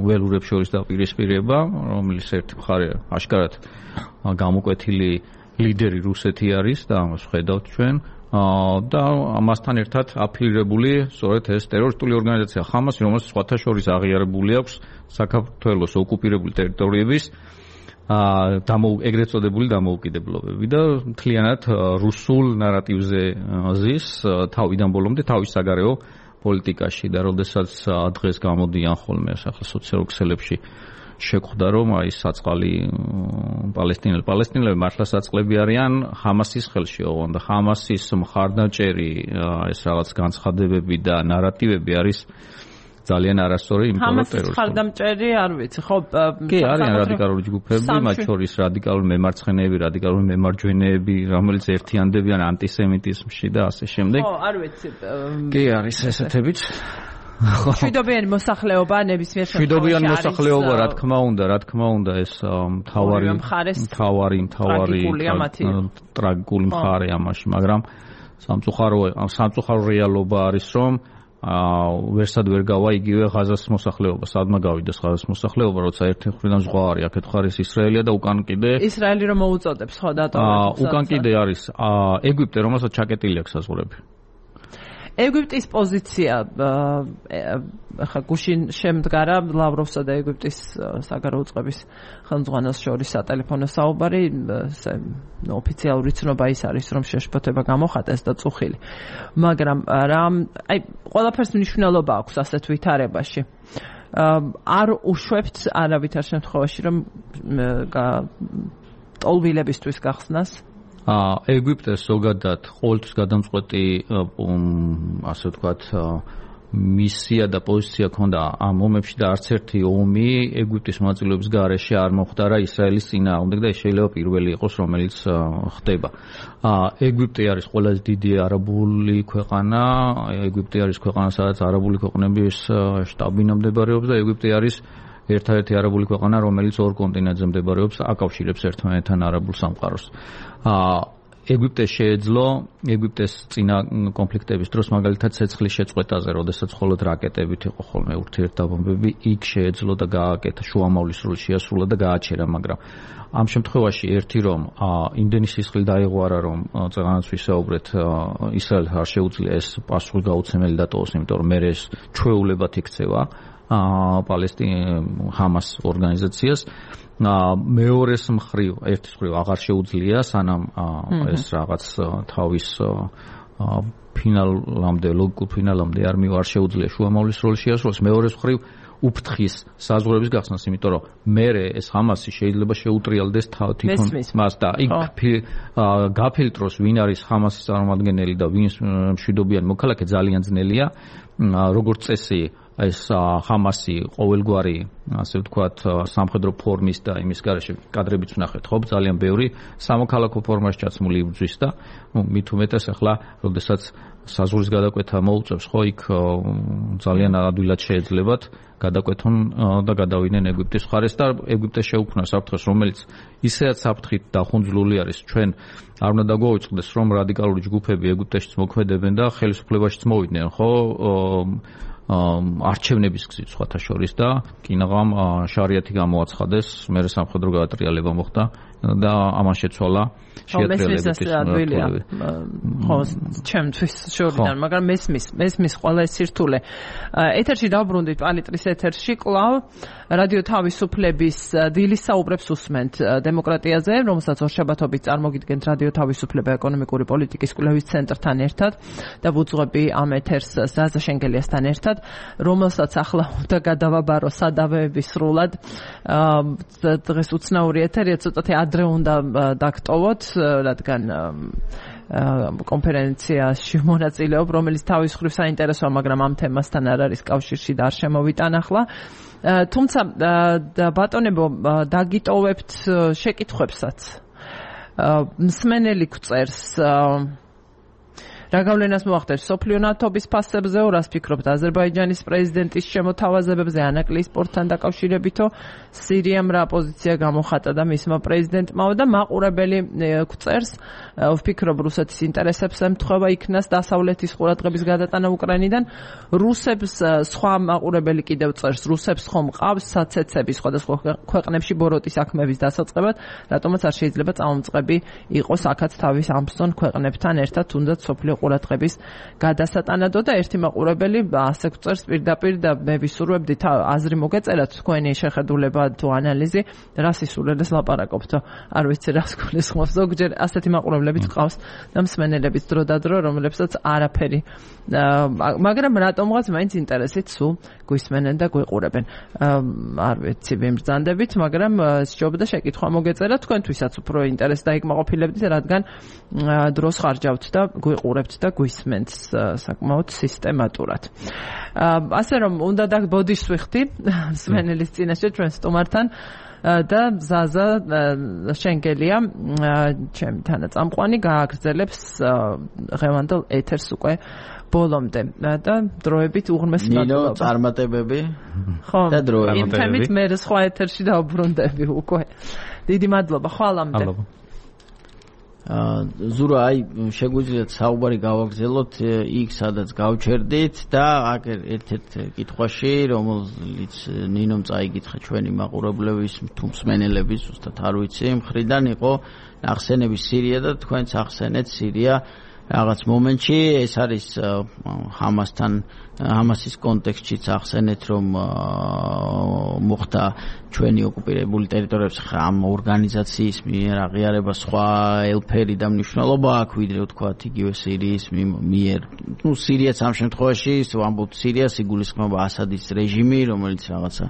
ველურებს შორის დაპირისპირება, რომელიც ერთი მხარე აშკარად გამოკვეთილი ლიდერი რუსეთი არის და ამას ხედავთ ჩვენ და ამასთან ერთად აფილირებული სწორედ ეს ტერორისტული ორგანიზაცია ხამასი, რომელიც სხვათა შორის აღიარებული აქვს საქართველოს ოკუპირებული ტერიტორიების ეგრეთ წოდებული დამოუკიდებლობები და მთლიანად რუსულ ნარატივზე ზის თავიდან ბოლომდე თავის საგარეო პოლიტიკაში და როდესაც დღეს გამოდიან ხოლმე ახლა სოციალურ ქსელებში შეხვდა, რომ აი საწყალი პალესტინელი პალესტინელები მართლა საწყლები არიან ხამასის ხელში, ოღონდ და ხამასის მხარდაჭერი ეს რაღაც განცხადებები და ნარატივები არის ძალიან არასწორი, იმიტომ რომ ტერორისტული მხარდამჭერი არ ვიცი, ხო? კი, არიან რადიკალური ჯგუფები, მათ შორის რადიკალური მემარცხენეები, რადიკალური მემარჯვენეები, რომელიც ერთიანდებიან ანტისემიტიზმში და ასე შემდეგ. ხო, არ ვიცი. კი, არის ესეთებიც. მშვიდობიანი მოსახლეობა ნებისმიერ შემთხვევაში. მშვიდობიანი მოსახლეობა, რა თქმა უნდა, რა თქმა უნდა, ეს მთავარი მთავარი მთავარი ტრაგიკული მხარე ამაში, მაგრამ სამწუხარო სამწუხარო რეალობა არის, რომ ვერსად ვერ გავა იგივე ღაზას მოსახლეობა, სადმა გავიდეს ღაზას მოსახლეობა, როცა ერთი მხრიდან ზღვა არის, აქეთ ხარის ისრაელია და უკან კიდე ისრაელი რომ მოუწოდებს, ხო, დატოვებს. უკან კიდე არის ეგვიპტე, რომელსაც ჩაკეტილი აქვს საზღვრები. ეგვიპტის პოზიცია ახლა გუშინ შემდგარა ლავროვსა და ეგვიპტის საგარეო წყების ხელმძღვანელს შორის სატელეფონო საუბარი, ოფიციალური ცნობა ის არის, რომ შეშფოთება გამოხატეს და წუხილი. მაგრამ რა, აი, ყველაფერს მნიშვნელობა აქვს ასეთ ვითარებაში. არ უშვებთ არავითარ შემთხვევაში, რომ ტოლვილებისთვის გახსნას ეგვიპტეს ზოგადად ყოველთვის გადამწყვეტი ასე ვთქვათ მისია და პოზიცია ქონდა ამ ომებში და არც ერთი ომი ეგვიპტის მონაწილეობის გარეშე არ მოხდარა ისრაელის წინააღმდეგ და შეიძლება პირველი იყოს რომელიც ხდება. ეგვიპტე არის ყველაზე დიდი არაბული ქვეყანა, ეგვიპტე არის ქვეყანა სადაც არაბული ქვეყნების შტაბ-ბინა მდებარეობს და ეგვიპტე არის ერთადერთი არაბული ქვეყანა რომელიც ორ კონტინენტზე მდებარეობს, აკავშირებს ერთმანეთთან არაბულ სამყაროს. ეგვიპტეს შეეძლო ეგვიპტეს წინა კონფლიქტების დროს მაგალითად ცეცხლის შეწყვეტაზე, როდესაც მხოლოდ რაკეტებით იყო ხოლმე ურთიერთდაბომბები, იქ შეეძლო და გააკეთა შუამავლის როლი შეასრულა და გააჩერა, მაგრამ ამ შემთხვევაში ერთი რომ იმდენი სისხლი დაეღვარა რომ წეგანაც ვისაუბრეთ ისრაელს არ შეუძლია ეს პასუხი გაუცემელი დატოვოს, იმიტომ რომ მე ეს ჩვეულებად იქცევა პალესტინ ჰამას ორგანიზაციას. მეორეს მხრივ, ერთის მხრივ აღარ შეუძლია სანამ ეს რაღაც თავის ფინალამდე, ლოგიკურ ფინალამდე არ მივა, არ შეუძლია შუამავლის როლი შეასრულოს. მეორეს მხრივ უფრთხის საზღვრების გახსნას, იმიტომ რომ მერე ეს ჰამასი შეიძლება შეუტრიალდეს თვითონ მას და იქ გაფილტროს ვინ არის ჰამასის წარმომადგენელი და ვინ მშვიდობიანი მოქალაქე ძალიან ძნელია. როგორც წესი ეს ჰამასი ყოველგვარი, ასე ვთქვათ, სამხედრო ფორმის და იმის გარეშე კადრებიც ვნახეთ, ხო, ძალიან ბევრი სამოქალაქო ფორმაში ჩაცმული იბრძვის და მით უმეტეს ახლა, როდესაც საზღვრის გადაკვეთა მოუწევს, ხო, იქ ძალიან ადვილად შეეძლებათ გადაკვეთონ და გადავიდნენ ეგვიპტის მხარეს და ეგვიპტეს შეუქმნა საფრთხეს, რომელიც ისეაც საფრთხით დახუნძლული არის. ჩვენ არ უნდა დაგვაუწყდეს, რომ რადიკალური ჯგუფები ეგვიპტეშიც მოქმედებენ და ხელისუფლებაშიც მოვიდნენ, ხო, არჩევნების გზით სხვათა შორის და კინაღამ შარიათი გამოაცხადეს, მერე სამხედრო გადატრიალება მოხდა და ამან შეცვალა შეატრიალებით. ხო, ჩემთვის შორიდან, მაგრამ მესმის, მესმის ყველა ეს სირთულე. ეთერში დავბრუნდით პალიტრის ეთერში კლავ რადიო თავისუფლების დილის საუბრებს უსმენთ დემოკრატიაზე, რომელსაც ორშაბათობით წარმოგიდგენთ რადიო თავისუფლება ეკონომიკური პოლიტიკის კვლევის ცენტრთან ერთად და ვუძღვები ამ ეთერს ზაზა შენგელიასთან ერთად, რომელსაც ახლა უნდა გადავაბარო სადავეები სრულად. დღეს უცნაური ეთერია, ცოტათი ადრე უნდა დაგტოვოთ, რადგან კონფერენციაში მონაწილეობ, რომელიც თავის მხრივ საინტერესოა, მაგრამ ამ თემასთან არ არის კავშირში და არ შემოვიტან ახლა. თუმცა ბატონებო, დაგიტოვებთ შეკითხვებსაც. მსმენელი გვწერს რა გავლენას მოახდენს სოფლიო ნავთობის ფასებზე, რას ფიქრობთ აზერბაიჯანის პრეზიდენტის შემოთავაზებებზე ანაკლიის პორტთან დაკავშირებითო, სირიამ რა პოზიცია გამოხატა და მისმა პრეზიდენტმაო და მაყურებელი გვწერს, ვფიქრობ რუსეთის ინტერესებს ემთხვევა იქნას დასავლეთის ყურადღების გადატანა უკრაინიდან. რუსებს სხვა მაყურებელი კიდევ წერს, რუსებს ხომ ყავს საცეცები სხვადასხვა ქვეყნებში ბოროტის საქმეების დასაწყებად, რატომაც არ შეიძლება წამომწყები იყოს აქაც თავის ამსწონ ქვეყნებთან ერთად, თუნდაც სოფლიო ყურადღების გადასატანადო და ერთი მაყურებელი ასე გვწერს პირდაპირ და მე ვისურვებდი აზრი მოგეწერათ თქვენი შეხედულება თუ ანალიზი, რას ისურვებს ლაპარაკობთ, არ ვიცი რას გულისხმობს, ზოგჯერ ასეთი მაყურებლებით ყავს და მსმენელებიც დრო და დრო, რომლებსაც არაფერი, მაგრამ რატომღაც მაინც ინტერესით სულ გვისმენენ და გვიყურებენ. არ ვიცი ვიმბრძანდებით, მაგრამ სჯობდა შეკითხვა მოგეწერათ, თქვენთვისაც უფრო ინტერესი დაიკმაყოფილებდით, რადგან დროს ხარჯავთ და გვიყურებთ და გვისმენთ საკმაოდ სისტემატურად. ასე რომ უნდა და ბოდიშს ვიხდი მსმენელის წინაშე ჩვენ სტუმართან და ზაზა შენგელია ჩემი თანაწამყვანი გააგრძელებს ღევანდელ ეთერს უკვე ბოლომდე და დროებით უღრმესი მადლობა. ნინო წარმატებები ხო და დროებით. იმ თემით მე სხვა ეთერში დავბრუნდები უკვე. დიდი მადლობა ხვალამდე. ზურა, აი შეგვიძლიათ საუბარი გავაგრძელოთ იქ სადაც გავჩერდით და აქ ერთ-ერთ კითხვაში, რომელიც ნინომ წაიკითხა ჩვენი მაყურებლების თუ მსმენელების, ზუსტად არ ვიცი, მხრიდან იყო ახსენები სირია და თქვენც ახსენეთ სირია რაღაც მომენტში. ეს არის ჰამასთან, ჰამასის კონტექსტშიც ახსენეთ, რომ მოხდა ჩვენი ოკუპირებული ტერიტორიების ამ ორგანიზაციის მიერ აღიარება სხვა ელფერი და მნიშვნელობა აქვს, ვიდრე ვთქვათ იგივე სირიის მიერ. ნუ სირიაც ამ შემთხვევაში, ვამბობთ სირიას, იგულისხმება ასადის რეჟიმი, რომელიც რაღაცა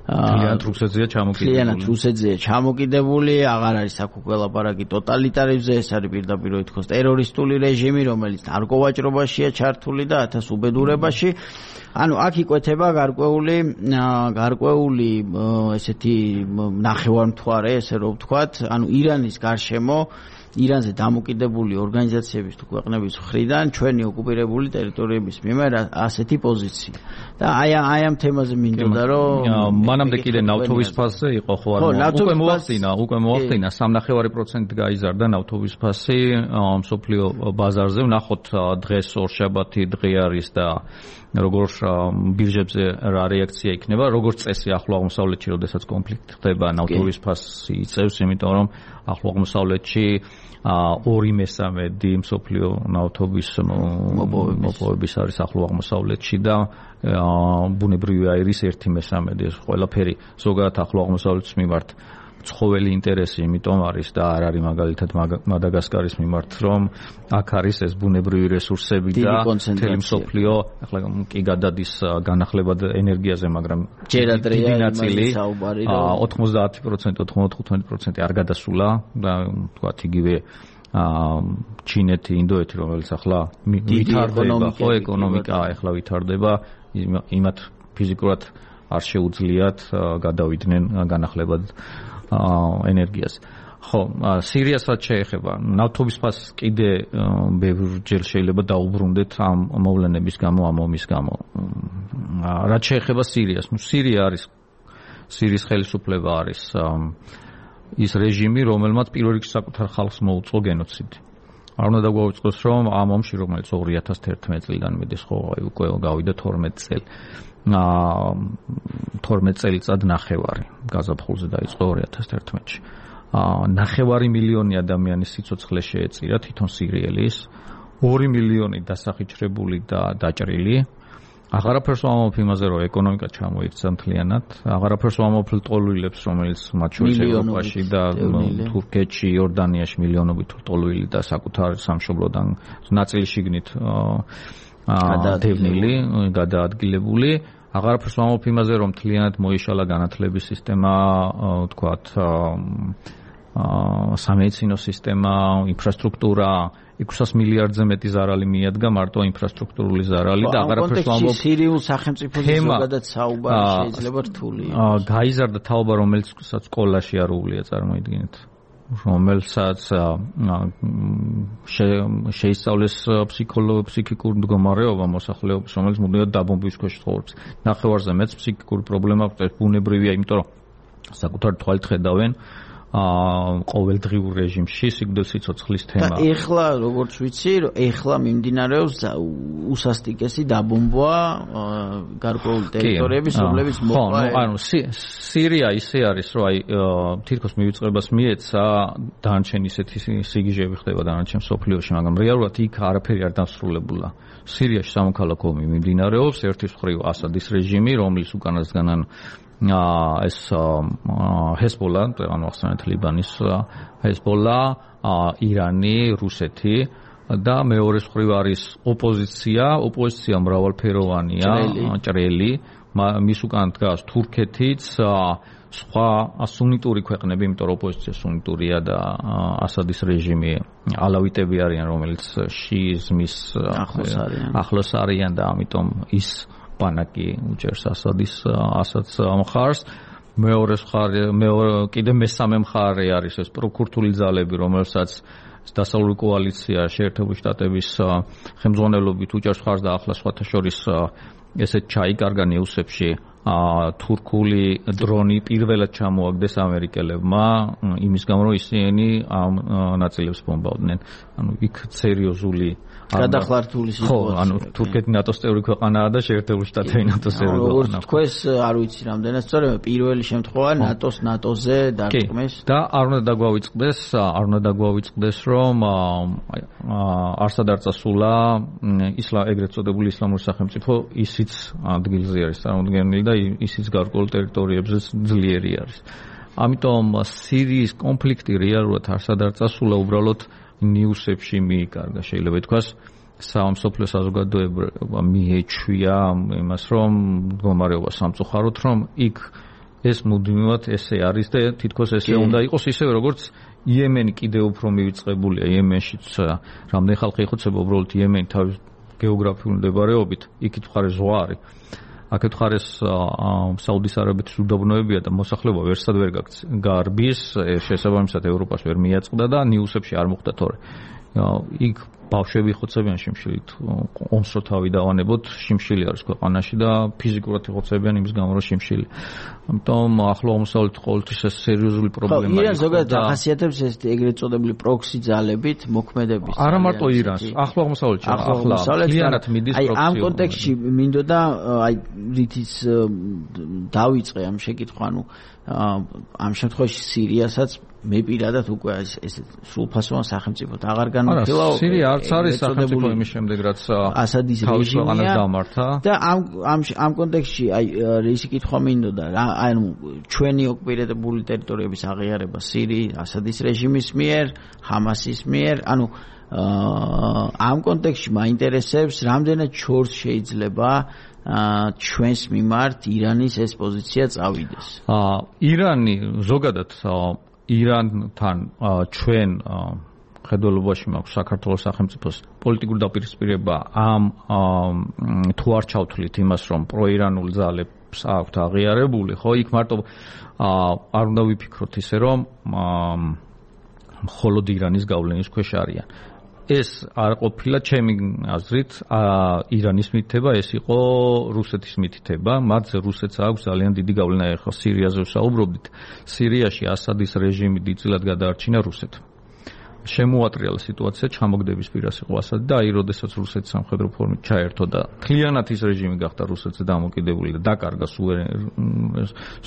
ძალიანად რუსეთზეა ჩამოკიდებული. ძალიანად რუსეთზეა ჩამოკიდებული, აღარ არის აქ უკვე ლაპარაკი ტოტალიტარიზმზე, ეს არის პირდაპირ ითქოს ტერორისტული რეჟიმი, რომელიც ნარკოვაჭრობაშია ჩართული და ათას უბედურებაში. ანუ აქ იკვეთება გარკვეული გარკვეული ესეთი ნახევარმთვარე, ესე რომ ვთქვათ, ანუ ირანის გარშემო ირანზე დამოკიდებული ორგანიზაციების თუ ქვეყნების მხრიდან ჩვენი ოკუპირებული ტერიტორიების მიმართ ასეთი πოზიცია. და აი აი ამ თემაზე მინდოდა რომ მანამდე კიდე ნავთობის ფასზე იყო ხო არა? უკვე მოახდინა, უკვე მოახდინა სამი ნახევარი პროცენტი გაიზარდა ნავთობის ფასი მსოფლიო ბაზარზე. ვნახოთ დღეს ორშაბათი დღე არის და როგორ ბირჟებზე რა რეაქცია იქნება, როგორც წესი ახლო აღმოსავლეთში, როდესაც კონფლიქტი ხდება, ნავთობის ფასი იწევს, იმიტომ რომ ახლო აღმოსავლეთში ორი მესამედი მსოფლიო ნავთობის მოპოვების არის ახლო აღმოსავლეთში და ბუნებრივი აირის ერთი მესამედი. ეს ყველაფერი ზოგადად ახლო აღმოსავლეთის მიმართ ცხოველი ინტერესი, იმიტომ არის და არ არის მაგალითად მადაგასკარის მიმართ, რომ აქ არის ეს ბუნებრივი რესურსები და მთელი მსოფლიო, ახლა კი გადადის განახლებად ენერგიაზე, მაგრამ ჯერადრეა ნაწილი ოცდაათი პროცენტი, ოცდათხუთმეტი პროცენტი არ გადასულა და თქვათ იგივე ჩინეთი, ინდოეთი, რომელიც ახლა ვითარდება, ხო, ეკონომიკა ახლა ვითარდება, იმათ ფიზიკურად არ შეუძლიათ გადავიდნენ განახლებად ენერგიას. ხო, სირიასაც შეეხება. ნავთობის ფასს კიდე ბევრჯერ შეიძლება დაუბრუნდეთ ამ მოვლენების გამო, ამ ომის გამო. რაც შეეხება სირიას, ნუ სირია არის სირიის ხელისუფლება არის ის რეჟიმი, რომელმაც პირველ რიგში საკუთარ ხალხს მოუწყო გენოციდი. არ უნდა დაგვაუწყოს, რომ ამ ომში, რომელიც ორი ათას ერთმეტი წლიდან მიდის, ხო, უკვე გავიდა თორმეტი წელი. თორმეტი წელიწად ნახევარი გაზაფხულზე დაიწყო ორი ათას ერთმეტში. ნახევარი მილიონი ადამიანის სიცოცხლე შეეწირა თვითონ სირიელის, ორი მილიონი დასახიჩრებული და დაჭრილი. აღარაფერს ვამბობ იმაზე, რომ ეკონომიკა ჩამოიქცა მთლიანად, აღარაფერს ვამბობ ლტოლვილებს, რომელიც მათ შორის ევროპაში და თურქეთში, იორდანიაში მილიონობით ლტოლვილი და საკუთარ სამშობლოდან ნაწილი შიგნით გადაადევნილი, გადაადგილებული. აღარაფერს ვამბობ იმაზე, რომ მთლიანად მოიშალა განათლების სისტემა, ვთქვათ, სამედიცინო სისტემა, ინფრასტრუქტურა, ექვსას მილიარდზე მეტი ზარალი მიადგა მარტო ინფრასტრუქტურული ზარალი და აღარაფერს ვამბობ სირიულ სახელმწიფოზე ზოგადად საუბარი შეიძლება რთული იყოს. გაიზარდა თაობა, რომელსაც სკოლაში არ უვლია, წარმოიდგინეთ. რომელსაც შეისწავლეს ფსიქიკური მდგომარეობა მოსახლეობის, რომელიც მუდმივად დაბომბვის ქვეშ ცხოვრობს. ნახევარზე მეც ფსიქიკური პრობლემა აქვს, ბუნებრივია, იმიტომ რომ საკუთარი თვალით ხედავენ ყოველდღიურ რეჟიმში სიკვდილ სიცოცხლის თემა. და ეხლა როგორც ვიცი, ეხლა მიმდინარეობს უსასტიკესი დაბომბვა გარკვეული ტერიტორიების, რომლებიც მოყვა. ხო, ანუ სირია ისე არის, რომ აი თითქოს მივიწყებას მიეცა, დანარჩენი ისეთი სიგიჟეები ხდება დანარჩენ მსოფლიოში, მაგრამ რეალურად იქ არაფერი არ დასრულებულა. სირიაში სამოქალაქო ომი მიმდინარეობს, ერთის მხრივ ასადის რეჟიმი, რომლის უკანასგანან ეს ჰეზბოლა, ანუ ახსენეთ ლიბანის ჰეზბოლა, ირანი, რუსეთი და მეორეს მხრივ არის ოპოზიცია, ოპოზიცია მრავალფეროვანია, ჭრელი, მის უკან დგას თურქეთიც, სხვა სუნიტური ქვეყნები, იმიტომ რომ ოპოზიცია სუნიტურია და ასადის რეჟიმი ალავიტები არიან, რომელიც შიიზმის ახლოს არიან და ამიტომ ის პანაკი უჭერს ასადის ასადს მხარს. მეორე მხარე, მეორე კიდე მესამე მხარე არის ეს პროკურთული ძალები, რომელსაც დასავლური კოალიცია შეერთებული შტატების ხელმძღვანელობით უჭერს მხარს და ახლა სხვათა შორის ესეთ ჩაიკარგა ნიუსებში თურქული დრონი პირველად ჩამოაგდეს ამერიკელებმა იმის გამო რომ ისინი ამ ნაწილებს ბომბავდნენ. ანუ იქ სერიოზული გადახლართული სიტუაცია. ხო, ანუ თურქეთი ნატოს წევრი ქვეყანაა და შეერთებული შტატები ნატოს წევრი ქვეყანაა. როგორც თქვეს, არ ვიცი რამდენად სწორია, პირველი შემთხვევა ნატოს ნატოზე დარტყმის და არ უნდა დაგვავიწყდეს, არ უნდა დაგვავიწყდეს, რომ არსად არ წასულა ისლამ ეგრეთ წოდებული ისლამური სახელმწიფო, ისიც ადგილზე არის წარმოდგენილი და ისიც გარკვეულ ტერიტორიებზე ძლიერი არის. ამიტომ სირიის კონფლიქტი რეალურად არსად არ წასულა, უბრალოდ ნიუსებში მიიკარგა, შეიძლება ითქვას, სამსოფლიო საზოგადოება მიეჩვია იმას, რომ მდგომარეობა სამწუხაროდ, რომ იქ ეს მუდმივად ესე არის და თითქოს ესე უნდა იყოს ისევე როგორც იემენი კიდევ უფრო მივიწყებულია იემენშიც რამდენი ხალხი იხოცება უბრალოდ იემენი თავის გეოგრაფიული მდებარეობით იქით მხარე ზღვა არის აქეთ მხარეს საუდის არაბეთის უდაბნოებია და მოსახლეობა ვერსად ვერ გარბის შესაბამისად ევროპას ვერ მიაწყდა და ნიუსებში არ მოხდა თორე იქ ბავშვები ხოცებიან შიმშილით ომს რო თავი დავანებოთ შიმშილი არის ქვეყანაში და ფიზიკურად ხოცებიან იმის გამო რომ შიმშილი ამიტომ ახლო აღმოსავლეთ ყოველთვის ეს სერიოზული პრობლემაა ხო ირანს ზოგადად ახასიათებს ეს ეგრეთ წოდებული პროქსი ძალებით მოქმედების არა მარტო ირანს ახლო აღმოსავლეთში ახლა კლიანად მიდის პროქსი აი ამ კონტექსტში მინდოდა აი რითიც დავიწყე ამ შეკითხვა ანუ ამ შემთხვევაში სირიასაც მე პირადად უკვე ეს ეს სრულფასოვან სახელმწიფოდ აღარ განვიხილავ. სირია არც არის სახელმწიფო იმის შემდეგ რაც ასადის რეჟიმია დამართა. და ამ ამ ამ კონტექსტში აი ისი კითხვა მინდოდა რა ანუ ჩვენი ოკუპირებული ტერიტორიების აღიარება სირიის ასადის რეჟიმის მიერ, ჰამასის მიერ, ანუ ამ კონტექსტში მაინტერესებს რამდენად შორს შეიძლება ჩვენს მიმართ ირანის ეს პოზიცია წავიდეს. ირანი ზოგადად ირანთან ჩვენ ხედველობაში მაქვს საქართველოს სახელმწიფოს პოლიტიკური დაპირისპირება ამ თუ არ ჩავთვლით იმას რომ პროირანულ ძალებს აქვთ აღიარებული ხო იქ მარტო არ უნდა ვიფიქროთ ისე რომ მხოლოდ ირანის გავლენის ქვეშ არიან ეს არ ყოფილა ჩემი აზრით ირანის მითითება ეს იყო რუსეთის მითითება მათზე რუსეთს აქვს ძალიან დიდი გავლენა ეხლა სირიაზე ვსაუბრობდით სირიაში ასადის რეჟიმი დიდწილად გადაარჩინა რუსეთმა შემოატრიალა სიტუაცია ჩამოგდების პირას იყო ასადი და აი როდესაც რუსეთი სამხედრო ფორმით ჩაერთო და ქლიანად ის რეჟიმი გახდა რუსეთზე დამოკიდებული და დაკარგა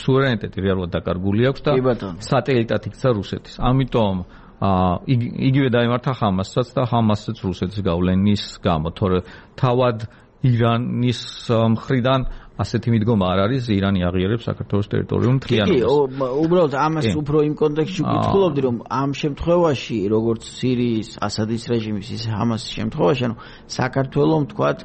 სუვერენიტეტი რეალურად დაკარგული აქვს და სატელიტად იქცა რუსეთის ამიტომ იგივე დაემართა ჰამასაც და ჰამასიც რუსეთის გავლენის გამო თორე თავად ირანის მხრიდან ასეთი მიდგომა არ არის ირანი აღიარებს საქართველოს ტერიტორიულ მთლიანობას. კი, უბრალოდ ამას უფრო იმ კონტექსტში ვკითხულობდი რომ ამ შემთხვევაში როგორც სირიის ასადის რეჟიმის ისე ჰამასის შემთხვევაში ანუ საქართველოს თქვათ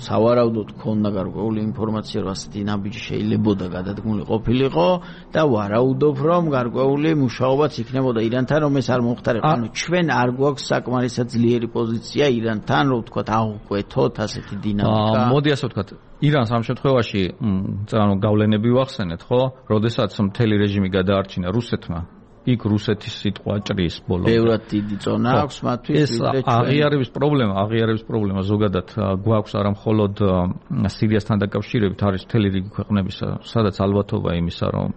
სავარაუდოდ ქონდა გარკვეული ინფორმაცია რომ ასეთი ნაბიჯი შეიძლებოდა გადადგმული ყოფილიყო და ვარაუდობ რომ გარკვეული მუშაობაც იქნებოდა ირანთან რომ ეს არ მომხდარიყო. ანუ ჩვენ არ გვაქვს საკმარისად ძლიერი პოზიცია ირანთან რომ თქვათ აღვკვეთოთ ასეთი დინამიკა. მოდი ასე ვთქვათ ირანს ამ შემთხვევაში ანუ გავლენები ვახსენეთ ხო? როდესაც მთელი რეჟიმი გადაარჩინა რუსეთმა იქ რუსეთის სიტყვა ჭრის ბოლომდე. ბევრად დიდი წონა აქვს მათთვის ვიდრე ჩვენ. აღიარების პრობლემა, აღიარების პრობლემა ზოგადად გვაქვს არა მხოლოდ სირიასთან დაკავშირებით, არის მთელი რიგი ქვეყნების, სადაც ალბათობა იმისა, რომ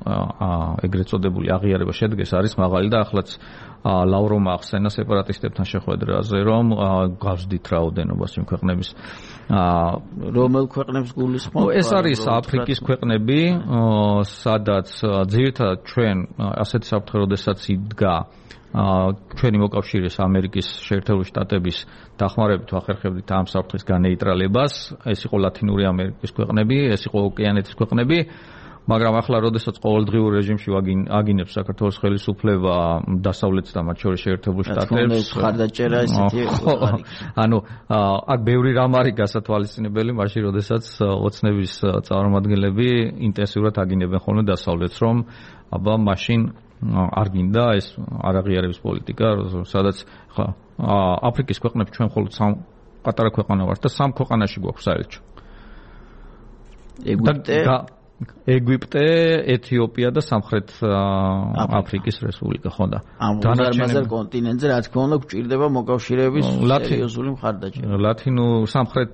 ეგრეთ წოდებული აღიარება შედგეს, არის მაღალი და ახლაც ლავროვმა ახსენა სეპარატისტებთან შეხვედრაზე, რომ გავსდით რაოდენობას იმ ქვეყნების რომელ ქვეყნებს გულისხმობ? ეს არის აფრიკის ქვეყნები, სადაც ძირითადად ჩვენ ასეთი საფრთხე როდესაც იდგა ჩვენი მოკავშირეს ამერიკის შეერთებული შტატების დახმარებით ვახერხებდით ამ საფრთხის განეიტრალებას. ეს იყო ლათინური ამერიკის ქვეყნები, ეს იყო ოკეანეთის ქვეყნები. მაგრამ ახლა როდესაც ყოველდღიურ რეჟიმში აგინებს საქართველოს ხელისუფლება დასავლეთს და მათ შორის შეერთებულ შტატებს ხარდაჭერა ესეთი ანუ აქ ბევრი რამ არის გასათვალისწინებელი მაშინ როდესაც ოცნების წარმომადგენლები ინტენსიურად აგინებენ ხოლმე დასავლეთს რომ აბა მაშინ არ გინდა ეს არაღიარების პოლიტიკა სადაც ხა აფრიკის ქვეყნები ჩვენ მხოლოდ სამ პატარა ქვეყანა ვართ და სამ ქვეყანაში გვაქვს საელჩო ეგვიპტე ეგვიპტე, ეთიოპია და სამხრეთ აფრიკის რესპუბლიკა ხო და დანარჩენ კონტინენტზე რა თქმა უნდა გვჭირდება მოკავშირეების სერიოზული მხარდაჭერა. ლათინო სამხრეთ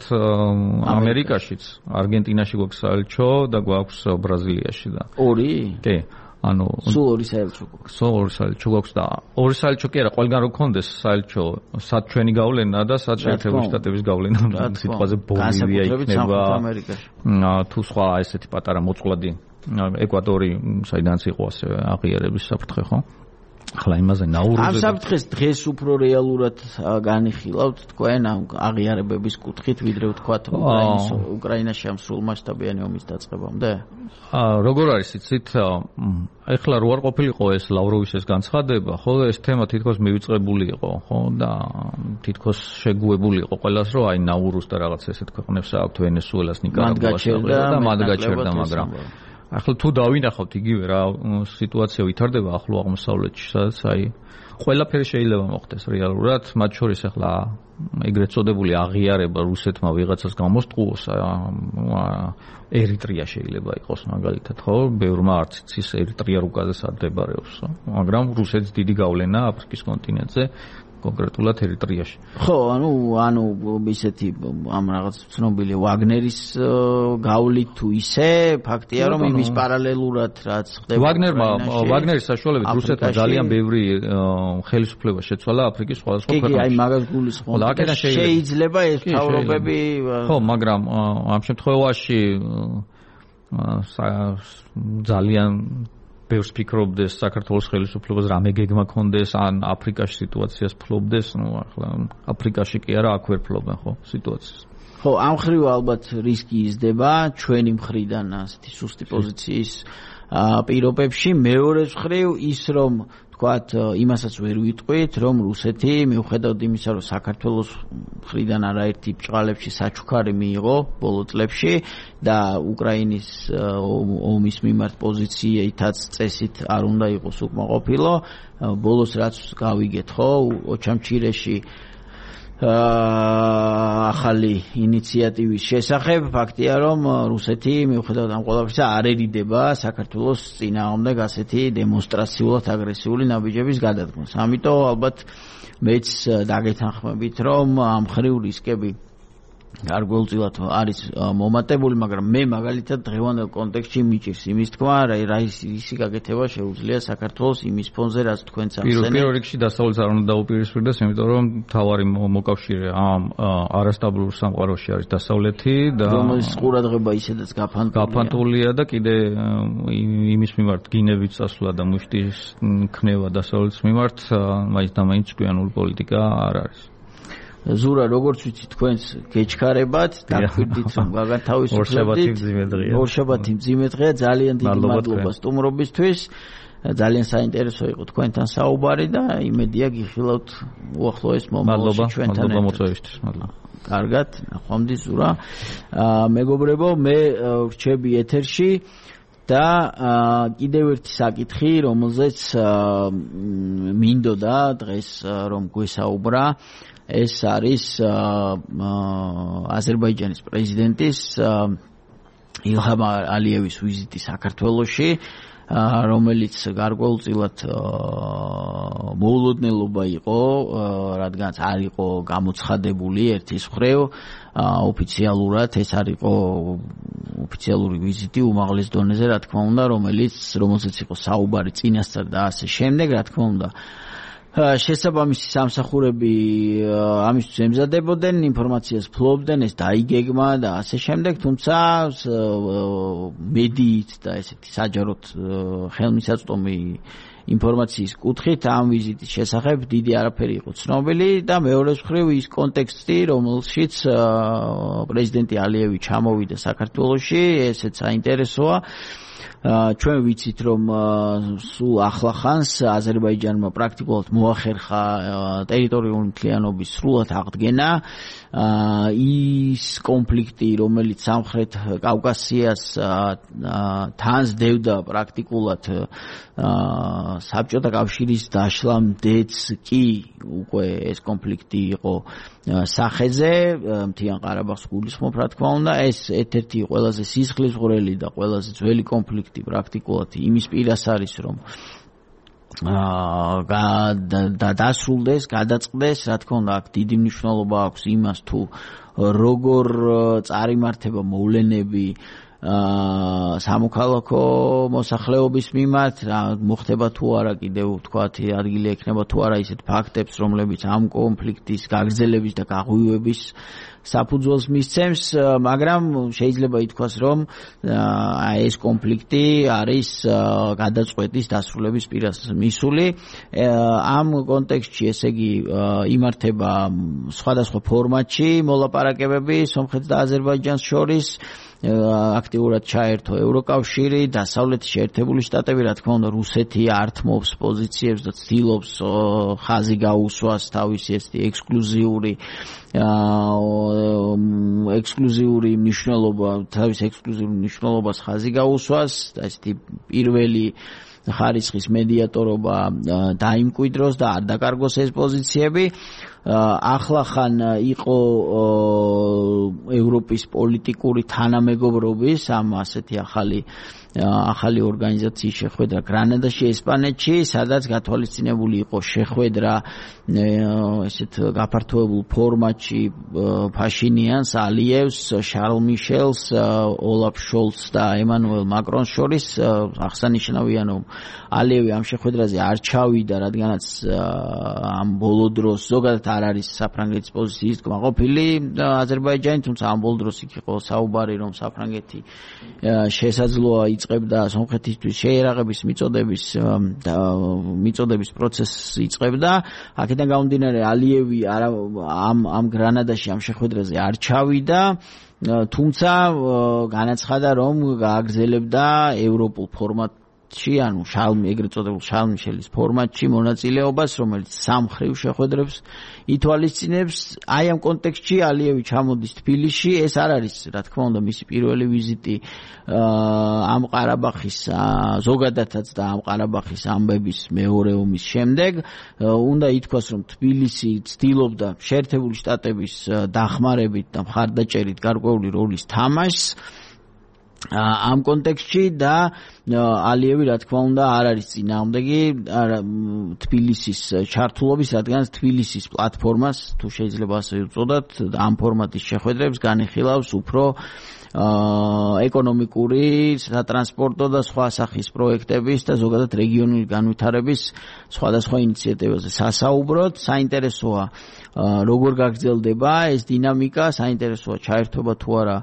ამერიკაშიც, არგენტინაში გვაქვს საელჩო და გვაქვს ბრაზილიაში და ორი? კი. ანუ სულ ორი საელჩო გვაქვს. სულ ორი საელჩო გვაქვს და ორი საელჩო კი არა, ყველგან რო გქონდეს საელჩო, სად ჩვენი გავლენა და სად შეერთებული შტატების გავლენა, სიტყვაზე ბოლივია იქნება. თუ სხვა ესეთი პატარა მოწყვლადი ეკვადორი, საიდანაც იყო ასე აღიარების საფრთხე, ხო? ახლა იმაზე ნაურუზე ამ საფრთხეს დღეს უფრო რეალურად განიხილავთ თქვენ ამ აღიარებების კუთხით ვიდრე ვთქვათ უკრაინის უკრაინაში ამ სრულმასშტაბიანი ომის დაწყებამდე? როგორ არის იცით ეხლა რო არ ყოფილიყო ეს ლავროვის ეს განცხადება ხო ეს თემა თითქოს მივიწყებული იყო ხო და თითქოს შეგუებული იყო ყველას რომ აი ნაურუს და რაღაც ესეთ ქვეყნებს აქვთ ვენესუელას ნიკარაგუას და მათ გაჩერდა მაგრამ ახლა თუ დავინახავთ იგივე რა სიტუაცია ვითარდება ახლო აღმოსავლეთში, სადაც აი ყველაფერი შეიძლება მოხდეს რეალურად, მათ შორის ახლა ეგრეთ წოდებული აღიარება რუსეთმა ვიღაცას გამოსტყუოს, ერიტრია შეიძლება იყოს მაგალითად, ხო? ბევრმა არც იცის ერიტრია რუკაზე სადმმდებარეობს, მაგრამ რუსეთს დიდი გავლენა აფრიკის კონტინენტზე კონკრეტულად ერიტრიაში. ხო, ანუ ანუ ისეთი ამ რაღაც ცნობილი ვაგნერის გავლით თუ ისე ფაქტია რომ იმის პარალელურად რაც ხდება ვაგნერმა ვაგნერის საშუალებით რუსეთმა ძალიან ბევრი ხელისუფლება შეცვალა აფრიკის სხვადასხვა ქვეყნებში. კი, აი მაგას გულისხმობ. შეიძლება ეს თავრობები ხო, მაგრამ ამ შემთხვევაში ძალიან ბევრს ფიქრობდეს საქართველოს ხელისუფლებას რამე გეგმა ქონდეს ან აფრიკაში სიტუაციას ფლობდეს, ну ახლა აფრიკაში კი არა, აქ ვერ ფლობენ ხო სიტუაციას. ხო, ამ ხრივ ალბათ რისკი იზრდება ჩვენი მხრიდან ასეთი სუსტი პოზიციის პირობებში, მეორე მხრივ ის რომ თქვათ იმასაც ვერ ვიტყვით, რომ რუსეთი მიუხედავად იმისა, რომ საქართველოს მხრიდან არაერთი ბრჭყალებში საჩუქარი მიიღო ბოლო წლებში და უკრაინის ომის მიმართ პოზიციითაც წესით არ უნდა იყოს უკმაყოფილო, ბოლოს რაც გავიგეთ, ხო, ოჩამჩირეში ახალი ინიციატივის შესახებ ფაქტია რომ რუსეთი მიუხედავად ამ ყველაფრისა არ ერიდება საქართველოს წინააღმდეგ ასეთი დემონსტრაციულად აგრესიული ნაბიჯების გადადგმას. ამიტომ ალბათ მეც დაგეთანხმებით რომ ამ ხრივ რისკები გარკვეულწილად არის მომატებული, მაგრამ მე მაგალითად დღევანდელ კონტექსტში მიჭირს იმის თქვა, რა ისი გაკეთება შეუძლია საქართველოს იმის ფონზე, რაც თქვენც ახსენეთ. პირველ რიგში დასავლეთს არ უნდა დაუპირისპირდეს, იმიტომ რომ მთავარი მოკავშირე ამ არასტაბილურ სამყაროში არის დასავლეთი და რომელიც ყურადღება ისედაც გაფანტულია. გაფანტულია და კიდე იმის მიმართ გინებით წასვლა და მუშტის ქნება დასავლეთის მიმართ მაინც და მაინც კვიანური პოლიტიკა არ არის. ზურა, როგორც ვიცი, თქვენს გეჩქარებათ, დაგვირდით რომ გაგათავისუფლებდით. ორშაბათი მძიმე დღეა, ძალიან დიდი მადლობა სტუმრობისთვის. ძალიან საინტერესო იყო თქვენთან საუბარი და იმედია გიხილავთ უახლოეს მომავალში ჩვენთან. მადლობა მოწვევისთვის. მადლობა. კარგად, ნახვამდის ზურა. მეგობრებო, მე რჩები ეთერში და კიდევ ერთი საკითხი, რომელზეც მინდოდა დღეს რომ გვესაუბრა, ეს არის აზერბაიჯანის პრეზიდენტის ილჰამ ალიევის ვიზიტი საქართველოში, რომელიც გარკვეულწილად მოულოდნელობა იყო, რადგანაც არ იყო გამოცხადებული ერთის მხრივ ოფიციალურად, ეს არ იყო ოფიციალური ვიზიტი უმაღლეს დონეზე, რა თქმა უნდა, რომელიც რომელზეც იყო საუბარი წინასწარ და ასე შემდეგ, რა თქმა უნდა. შესაბამისი სამსახურები ამისთვის ემზადებოდნენ, ინფორმაციას ფლობდნენ, ეს დაიგეგმა და ასე შემდეგ, თუმცა მედიით და ესეთი საჯაროდ ხელმისაწვდომი ინფორმაციის კუთხით ამ ვიზიტის შესახებ დიდი არაფერი იყო ცნობილი და მეორე მხრივ ის კონტექსტი, რომელშიც პრეზიდენტი ალიევი ჩამოვიდა საქართველოში, ესეც საინტერესოა. ჩვენ ვიცით რომ სულ ახლახანს აზერბაიჯანმა პრაქტიკულად მოახერხა ტერიტორიული მთლიანობის სრულად აღდგენა. ის კონფლიქტი, რომელიც სამხრეთ კავკასიას თანსდევდა პრაქტიკულად საბჭოთა კავშირის დაშლამდეც კი უკვე ეს კონფლიქტი იყო სახეზე, მთიან ყარაბაღს გულისხმობ, რა თქმა უნდა, ეს ერთ-ერთი ყველაზე სისხლისღვრელი და ყველაზე ძველი კონფლიქტი პრაქტიკულად იმის პირას არის, რომ და დასრულდეს, გადაწყდეს, რა თქმა უნდა, აქ დიდი მნიშვნელობა აქვს იმას, თუ როგორ წარიმართება მოვლენები სამოქალაქო მოსახლეობის მიმართ, რა მოხდება თუ არა, კიდევ ვთქვათ, ადგილი ექნება თუ არა ისეთ ფაქტებს, რომლებიც ამ კონფლიქტის გაგრძელების და გაღვივების საფუძველს მისცემს, მაგრამ შეიძლება ითქვას, რომ ეს კონფლიქტი არის გადაწყვეტის დასრულების პირას მისული. ამ კონტექსტში, ესე იგი, იმართება სხვადასხვა ფორმატში მოლაპარაკებები სომხეთს და აზერბაიჯანს შორის. აქტიურად ჩაერთო ევროკავშირი, დასავლეთის შეერთებული შტატები, რა თქმა უნდა, რუსეთი ართმობს პოზიციებს და ცდილობს ხაზი გაუსვას თავისი ესეთი ექსკლუზიური ექსკლუზიური მნიშვნელობა, თავის ექსკლუზიურ მნიშვნელობას ხაზი გაუსვას და ესეთი პირველი ხარისხის მედიატორობა დაიმკვიდროს და არ დაკარგოს ეს პოზიციები. ახლახან იყო ევროპის პოლიტიკური თანამეგობრობის ამ ასეთი ახალი ახალი ორგანიზაციის შეხვედრა გრანადაში, ესპანეთში, სადაც გათვალისწინებული იყო შეხვედრა ესეთ გაფართოებულ ფორმატში ფაშინიანს, ალიევს, შარლ მიშელს, ოლაფ შოლცს და ემანუელ მაკრონს შორის. აღსანიშნავია, რომ ალიევი ამ შეხვედრაზე არ ჩავიდა, რადგანაც ამ ბოლო დროს ზოგადად არ არის საფრანგეთის პოზიციის კმაყოფილი აზერბაიჯანი, თუმცა ამ ბოლო დროს იქ იყო საუბარი, რომ საფრანგეთი შესაძლოა იწყებდა სომხეთისთვის შეერაღების მიწოდების მიწოდების პროცესს იწყებდა. აქედან გამომდინარე ალიევი ამ ამ გრანადაში ამ შეხვედრაზე არ ჩავიდა, თუმცა განაცხადა, რომ გააგრძელებდა ევროპულ ფორმატ ანუ შალმი ეგრეთ წოდებულ შალ მიშელის ფორმატში მონაწილეობას, რომელიც სამხრივ შეხვედრებს ითვალისწინებს. აი ამ კონტექსტში ალიევი ჩამოდის თბილისში. ეს არ არის, რა თქმა უნდა, მისი პირველი ვიზიტი ამ ყარაბაღის ზოგადადაც და ამ ყარაბაღის ამბების მეორე ომის შემდეგ. უნდა ითქვას, რომ თბილისი ცდილობდა შეერთებული შტატების დახმარებით და მხარდაჭერით გარკვეული როლის თამაშს ამ კონტექსტში და ალიევი რა თქმა უნდა არ არის წინააღმდეგი თბილისის ჩართულობის, რადგან თბილისის პლატფორმას, თუ შეიძლება ასე ვუწოდოთ, ამ ფორმატის შეხვედრებს განიხილავს უფრო ეკონომიკური, სატრანსპორტო და სხვა სახის პროექტების და ზოგადად რეგიონული განვითარების სხვადასხვა ინიციატივებზე სასაუბროთ. საინტერესოა როგორ გაგრძელდება ეს დინამიკა, საინტერესოა ჩაერთვება თუ არა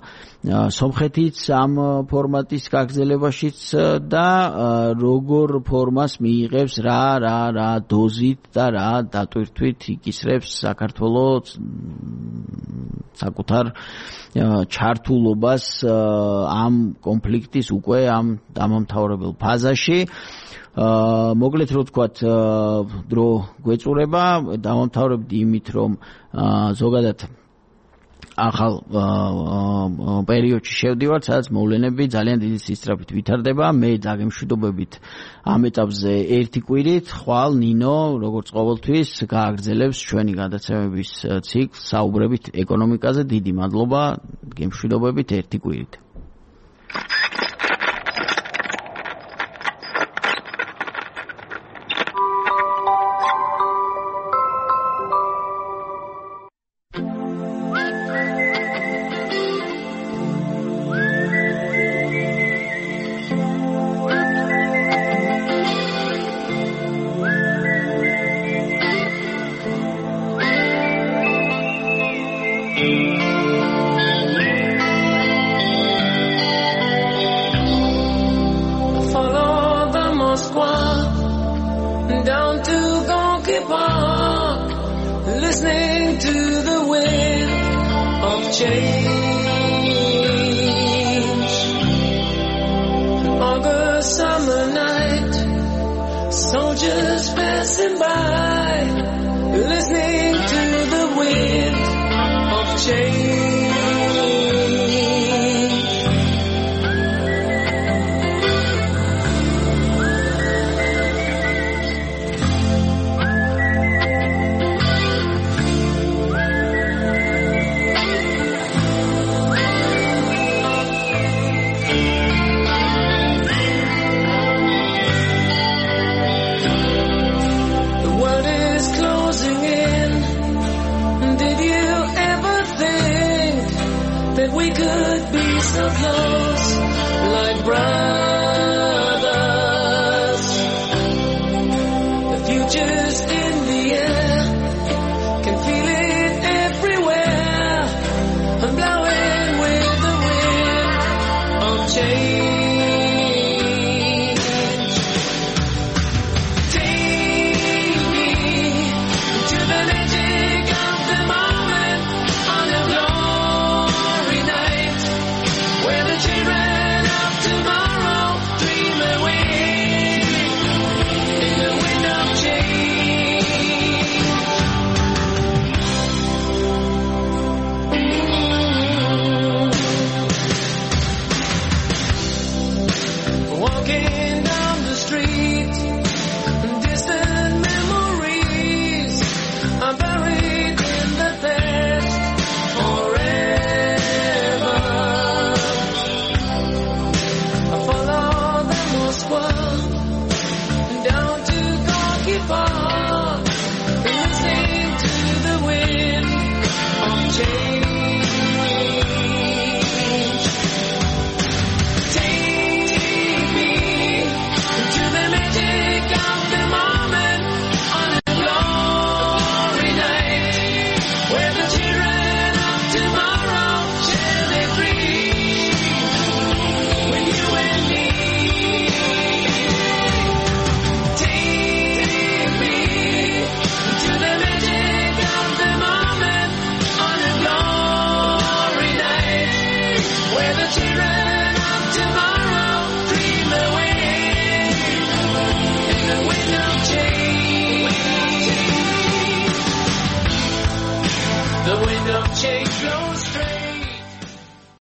სომხეთიც ამ ფორმატის გაგრძელებაშიც და როგორ ფორმას მიიღებს, რა რა რა დოზით და რა დატვირთვით იკისრებს საქართველოს საკუთარ ჩართულობას ამ კონფლიქტის უკვე ამ დამამთავრებელ ფაზაში. მოკლედ რო ვთქვათ, დრო გვეწურება, დავამთავრებდი იმით, რომ ზოგადად ახალ პერიოდში შევდივართ, სადაც მოვლენები ძალიან დიდი სისწრაფით ვითარდება. მე დაგემშვიდობებით ამ ეტაპზე ერთი კვირით, ხვალ ნინო, როგორც ყოველთვის, გააგრძელებს ჩვენი გადაცემების ციკლს საუბრებით ეკონომიკაზე. დიდი მადლობა, გემშვიდობებით ერთი კვირით. We could be so close, like brown.